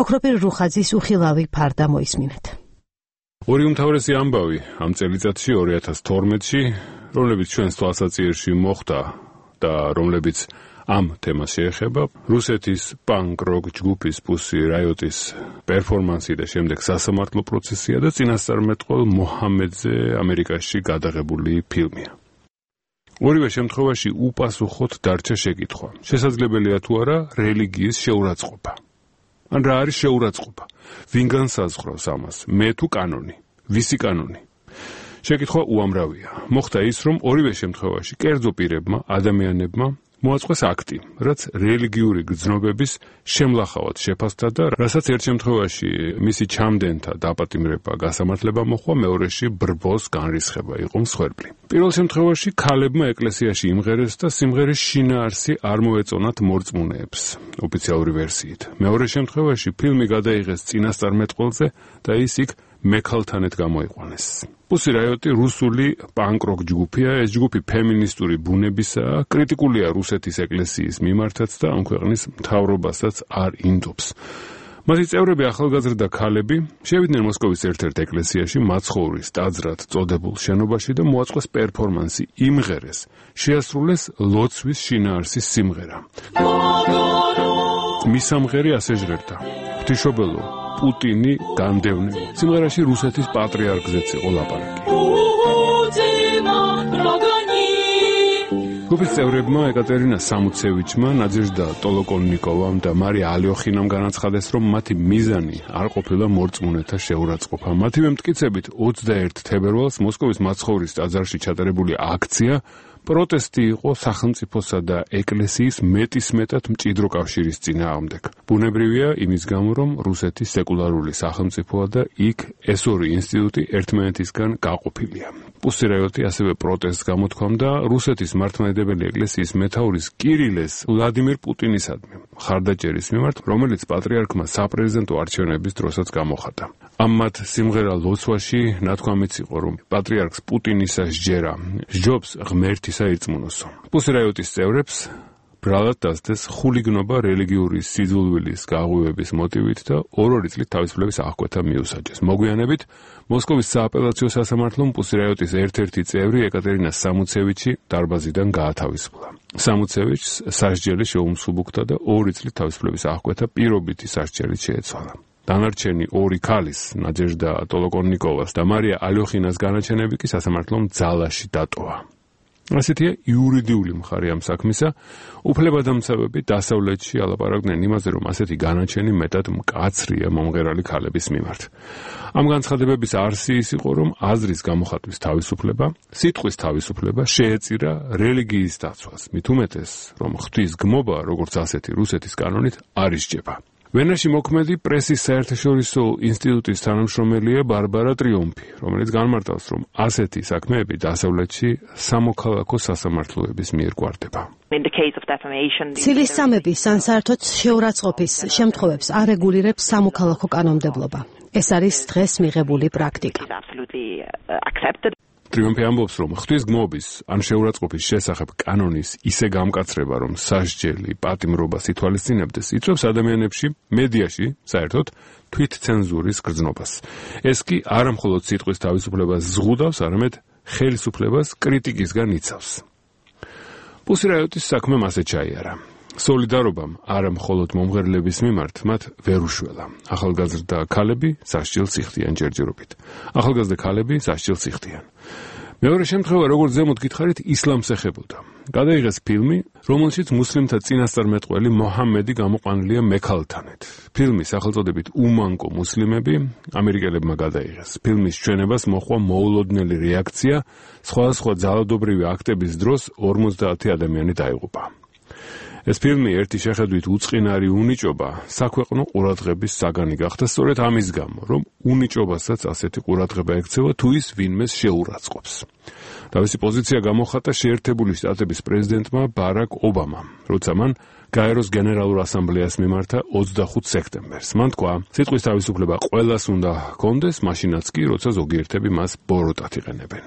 ოქროპირ რუხაძის უხილავი ფარდა მოისმინეთ. ორი უმთავრესი ამბავი ამ წელიწადში 2012-ში, რომლებიც ჩვენს თვალსაჩინოში მოხდა და რომლებიც ამ თემას შეეხება, რუსეთის პანკ-როკ ჯგუფის Pussy Riot-ის პერფორმანსი და შემდეგ სასამართლო პროცესია და წინასწარმეტყველ მოჰამედზე ამერიკაში გადაღებული ფილმია. ორივე შემთხვევაში უპასუხოდ დარჩა შეკითხვა. შესაძლებელია თუ არა რელიგიის შეურაცხყოფა? ან რა არის შეურაცხყოფა? ვინ განსაზღვრავს ამას? მე თუ კანონი? ვისი კანონი? შეკითხვა უამრავია. მოხდა ის, რომ ორივე შემთხვევაში კერძო პირებმა, ადამიანებმა მოაწყვეს აქტი, რაც რელიგიური გრძნობების შემლახავად შეფასდა და რასაც ერთ შემთხვევაში მისი ჩამდენთა დაპატიმრება გასამართლება მოხდა, მეორეში ბრბოს განრისხება იყო მსხვერპლი. პირველ შემთხვევაში ქალებმა ეკლესიაში იმღერეს და სიმღერის შინაარსი არ მოეწონათ მორწმუნეებს, ოფიციალური ვერსიით. მეორე შემთხვევაში ფილმი გადაიღეს წინასწარმეტყველზე და ის იქ მექალთანეთ გამოიყვანეს. Pussy Riot რუსული პანკ-როკ ჯგუფია, ეს ჯგუფი ფემინისტური ბუნებისაა, კრიტიკულია რუსეთის ეკლესიის მიმართაც და ამ ქვეყნის მთავრობასაც არ ინდობს. მათი წევრები ახალგაზრდა ქალები შევიდნენ მოსკოვის ერთ-ერთ ეკლესიაში მაცხოვრის ტაძრად წოდებულ შენობაში და მოაწყვეს პერფორმანსი, იმღერეს, შეასრულეს ლოცვის შინაარსის სიმღერა. მის სამღერი ასე ჟღერდა: ღვთისმშობელო, პუტინი განდევნე. სიმღერაში რუსეთის პატრიარქზეც იყო ლაპარაკი. ჯგუფის წევრებმა ეკატერინა სამუცევიჩმა, ნაძეჟდა ტოლოკონნიკოვამ და მარია ალიოხინამ განაცხადეს, რომ მათი მიზანი არ ყოფილა მორწმუნეთა შეურაცხყოფა. მათივე მტკიცებით 21 თებერვალს მოსკოვის მაცხოვრის ტაძარში ჩატარებული აქცია პროტესტი იყო სახელმწიფოსა და ეკლესიის მეტისმეტად მჭიდრო კავშირის წინააღმდეგ. ბუნებრივია იმის გამო, რომ რუსეთის სეკულარული სახელმწიფოა და იქ ეს ორი ინსტიტუტი ერთმანეთისგან გაყოფილია. Pussy Riot ასევე პროტესტს გამოთქვამდა რუსეთის მართლმადიდებელი ეკლესიის მეთაურის კირილეს ვლადიმირ პუტინისადმი მხარდაჭერის მიმართ, რომელიც პატრიარქმა საპრეზიდენტო არჩევნების დროსაც გამოხატა. ამათ სიმღერა ლოცვაში ნათქვამიც იყო, რომ პატრიარქს პუტინისა სჯერა, სჯობს ღმერთისა ირწმუნოსო. პუსირაიოტის წევრებს ბრალად დასდეს ხულიგნობა რელიგიური სიძულვილის გაღვივების მოტივით და ორ-ორი წლით თავისუფლების აღკვეთა მიუსაჯეს. მოგვიანებით მოსკოვის სააპელაციო სასამართლომ პუსირაიოტის ერთ-ერთი წევრი ეკატერინა სამუცევიჩი დარბაზიდან გაათავისუფლა. სამუცევიჩს სასჯელი შეუმსუბუქდა და 2 წლით თავისუფლების აღკვეთა პირობითი სასჯელით შეეცვალა. დანარჩენი 2 ქალის, ნაჯეჟდა ტოლოკონიკოვას და მარია ალოხინას განაჩენები კი სასამართლომ ძალაში დატოვა. ასეთია იურიდიული მხარე ამ საქმისა. უფლებადამცავები დასავლეთში ალაპარაკდნენ იმაზე, რომ ასეთი განაჩენი მეტად მკაცრია მომღერალი ქალების მიმართ. ამ განცხადებების არსი ის იყო, რომ აზრის გამოხატვის თავისუფლება, სიტყვის თავისუფლება შეეწირა რელიგიის დაცვას. მით უმეტეს, რომ ღვთის გმობა, როგორც ასეთი რუსეთის კანონით არ ისჯება. ვენაში მოქმედი პრესის საერთაშორისო ინსტიტუტის თანამშრომელია ბარბარა ტრიუმფი, რომელიც განმარტავს, რომ ასეთი საქმეები დასავლეთში სამოქალაქო სასამართლოების მიერ გვარდება. ცილის სამების ან საერთოდ შეურაცხყოფის შემთხვევებს არ რეგულირებს სამოქალაქო კანონმდებლობა. ეს არის დღეს მიღებული პრაქტიკა. ტრიუმფი ამბობს, რომ ღვთის გმობის ან შეურაცხყოფის შესახებ კანონის ისე გამკაცრება, რომ სასჯელი პატიმრობას ითვალისწინებდეს, იწვევს ადამიანებში, მედიაში, საერთოდ თვითცენზურის გრძნობას. ეს კი არა მხოლოდ სიტყვის თავისუფლებას ზღუდავს, არამედ ხელისუფლებას კრიტიკისგან იცავს. პუსირაიოტის საქმე მასე ჩაიარა. სოლიდარობამ არა მხოლოდ მომღერლების მიმართ მათ ვერ უშველა. ახალგაზრდა ქალები სასჯელს იხდიან ჯერჯერობით. ახალგაზრდა ქალები სასჯელს იხდიან. მეორე შემთხვევა, როგორც ზემოთ გითხარით, ისლამს ეხებოდა. გადაიღეს ფილმი, რომელშიც მუსლიმთა წინასწარმეტყველი მოჰამედი გამოყვანილია მექალთანეთ. ფილმის სახელწოდებით უმანკო მუსლიმები ამერიკელებმა გადაიღეს. ფილმის ჩვენებას მოჰყვა მოულოდნელი რეაქცია, სხვადასხვა ძალადობრივი აქტების დროს 50 ადამიანი დაიღუპა. ეს ფილმი ერთი შეხედვით უწყინარი უნიჭობა საქვეყნო ყურადღების საგანი გახდა სწორედ ამის გამო, რომ უნიჭობასაც ასეთი ყურადღება ექცევა თუ ის ვინმეს შეურაცხყოფს. თავისი პოზიცია გამოხატა შეერთებული შტატების პრეზიდენტმა ბარაკ ობამამ, როცა მან გაეროს გენერალურ ასამბლეას მიმართა 25 სექტემბერს. მან თქვა, სიტყვის თავისუფლება ყველას უნდა ჰქონდეს, მაშინაც კი, როცა ზოგიერთები მას ბოროტად იყენებენ.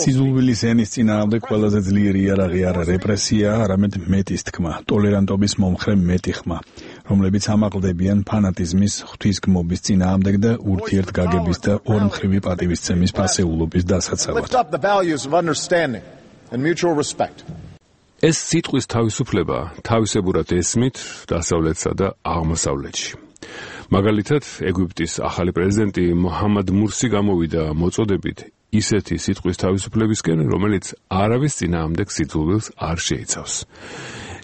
სიძულვილის ენის წინააღმდეგ ყველაზე ძლიერი იარაღი არა რეპრესია, არამედ მეტის თქმა, ტოლერანტობის მომხრე მეტი ხმა, რომლებიც ამაყლდებიან ფანატიზმის, ღვთისგმობის წინააღმდეგ და ურთიერთგაგების და ორმხრივი პატივისცემის ფასეულობის დასაცავად. ეს სიტყვის თავისუფლება თავისებურად ესმით დასავლეთსა და აღმოსავლეთში. მაგალითად, ეგვიპტის ახალი პრეზიდენტი მოჰამად მურსი გამოვიდა მოწოდებით ისეთი სიტყვის თავისუფლებისკენ, რომელიც არავის წინააღმდეგ სიძულვილს არ შეიცავს.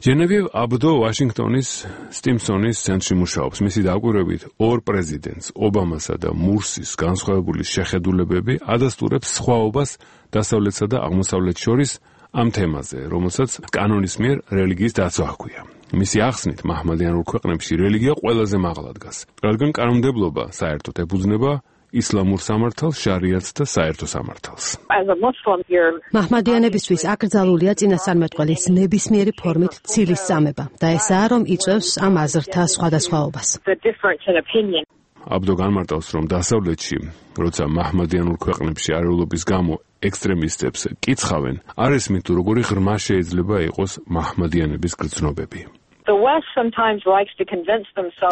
ჟენევიევ აბდო ვაშინგტონის სტიმსონის ცენტრში მუშაობს. მისი დაკვირვებით, ორ პრეზიდენტს, ობამასა და მურსის განსხვავებული შეხედულებები ადასტურებს სხვაობას დასავლეთსა და აღმოსავლეთ შორის ამ თემაზე, რომელსაც კანონის მიერ რელიგიის დაცვა ჰქვია. მისი ახსნით, მაჰმადიანურ ქვეყნებში რელიგია ყველაზე მაღლა დგას, რადგან კანონმდებლობა საერთოდ ეფუძნება ისლამურ სამართალს, შარიათს და საერთო სამართალს. მაჰმადიანებისთვის აკრძალულია წინასწარმეტყველის ნებისმიერი ფორმით ცილის წამება და ესაა, რომ იწვევს ამ აზრთა სხვადასხვაობას. აბდო განმარტავს, რომ დასავლეთში, როცა მაჰმადიანურ ქვეყნებში არეულობის გამო ექსტრემისტებს კიცხავენ, არ ესმით თუ როგორი ღრმა შეიძლება იყოს მაჰმადიანების გრძნობები.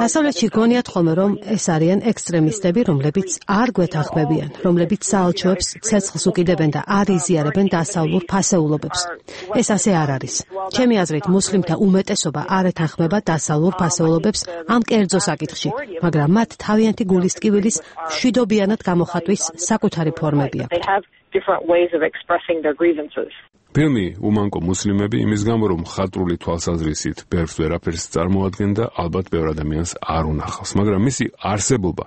დასავლეთში გონიათ ხოლმე, რომ ეს არიან ექსტრემისტები, რომლებიც არ გვეთანხმებიან, რომლებიც საელჩოებს ცეცხლს უკიდებენ და არ იზიარებენ დასავლურ ფასეულობებს. ეს ასე არ არის. ჩემი აზრით, მუსლიმთა უმეტესობა არ ეთანხმება დასავლურ ფასეულობებს ამ კერძო საკითხში, მაგრამ მათ თავიანთი გულისტკივილის მშვიდობიანად გამოხატვის საკუთარი ფორმები აქვთ. ფილმი უმანკო მუსლიმები იმის გამო, რომ მხატვრული თვალსაზრისით ბევრს ვერაფერს წარმოადგენდა, ალბათ ბევრ ადამიანს არ უნახავს, მაგრამ მისი არსებობა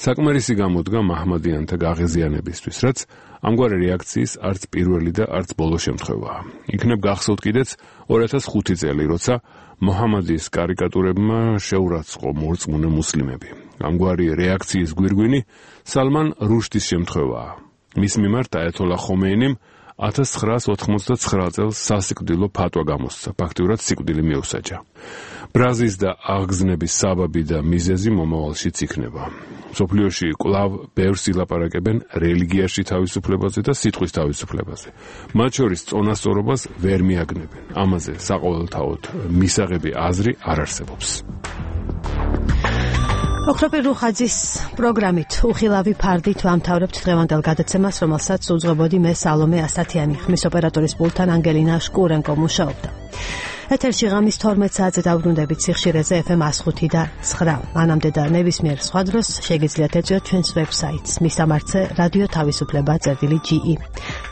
საკმარისი გამოდგა მაჰმადიანთა გაღიზიანებისთვის, რაც ამგვარი რეაქციის არც პირველი და არც ბოლო შემთხვევაა. იქნებ გახსოვთ კიდეც 2005 წელი, როცა მოჰამადის კარიკატურებმა შეურაცხყო მორწმუნე მუსლიმები. ამგვარი რეაქციის გვირგვინი სალმან რუშდის შემთხვევაა. მის მიმართ აიათოლა ხომეინიმ 1989 წელს სასიკვდილო ფატვა გამოსცა, ფაქტიურად სიკვდილი მიუსაჯა. ბრაზის და აღგზნების საბაბი და მიზეზი მომავალშიც იქნება. მსოფლიოში კვლავ ბევრს ილაპარაკებენ რელიგიაში თავისუფლებაზე და სიტყვის თავისუფლებაზე. მათ შორის წონასწორობას ვერ მიაგნებენ. ამაზე საყოველთაოდ მისაღები აზრი არ არსებობს. ოქროპირ რუხაძის პროგრამით უხილავი ფარდით ვამთავრებთ დღევანდელ გადაცემას, რომელსაც უძღვებოდი მე სალომე ასათიანი, ხმის ოპერატორის პულტთან ანგელინა შკურენკო მუშაობდა. ეთერში ღამის 12 საათზე დაუბრუნდებით სიხშირეზე FM 105 და 9. მანამდე და ნებისმიერ სხვა დროს შეგიძლიათ ეწვიოთ ჩვენს ვებსაიტს მისამართზე რადიო თავისუფლება.ge.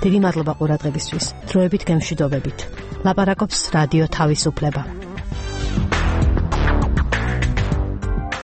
დიდი მადლობა ყურადღებისთვის. დროებით გემშვიდობებით. ლაპარაკობს რადიო თავისუფლება.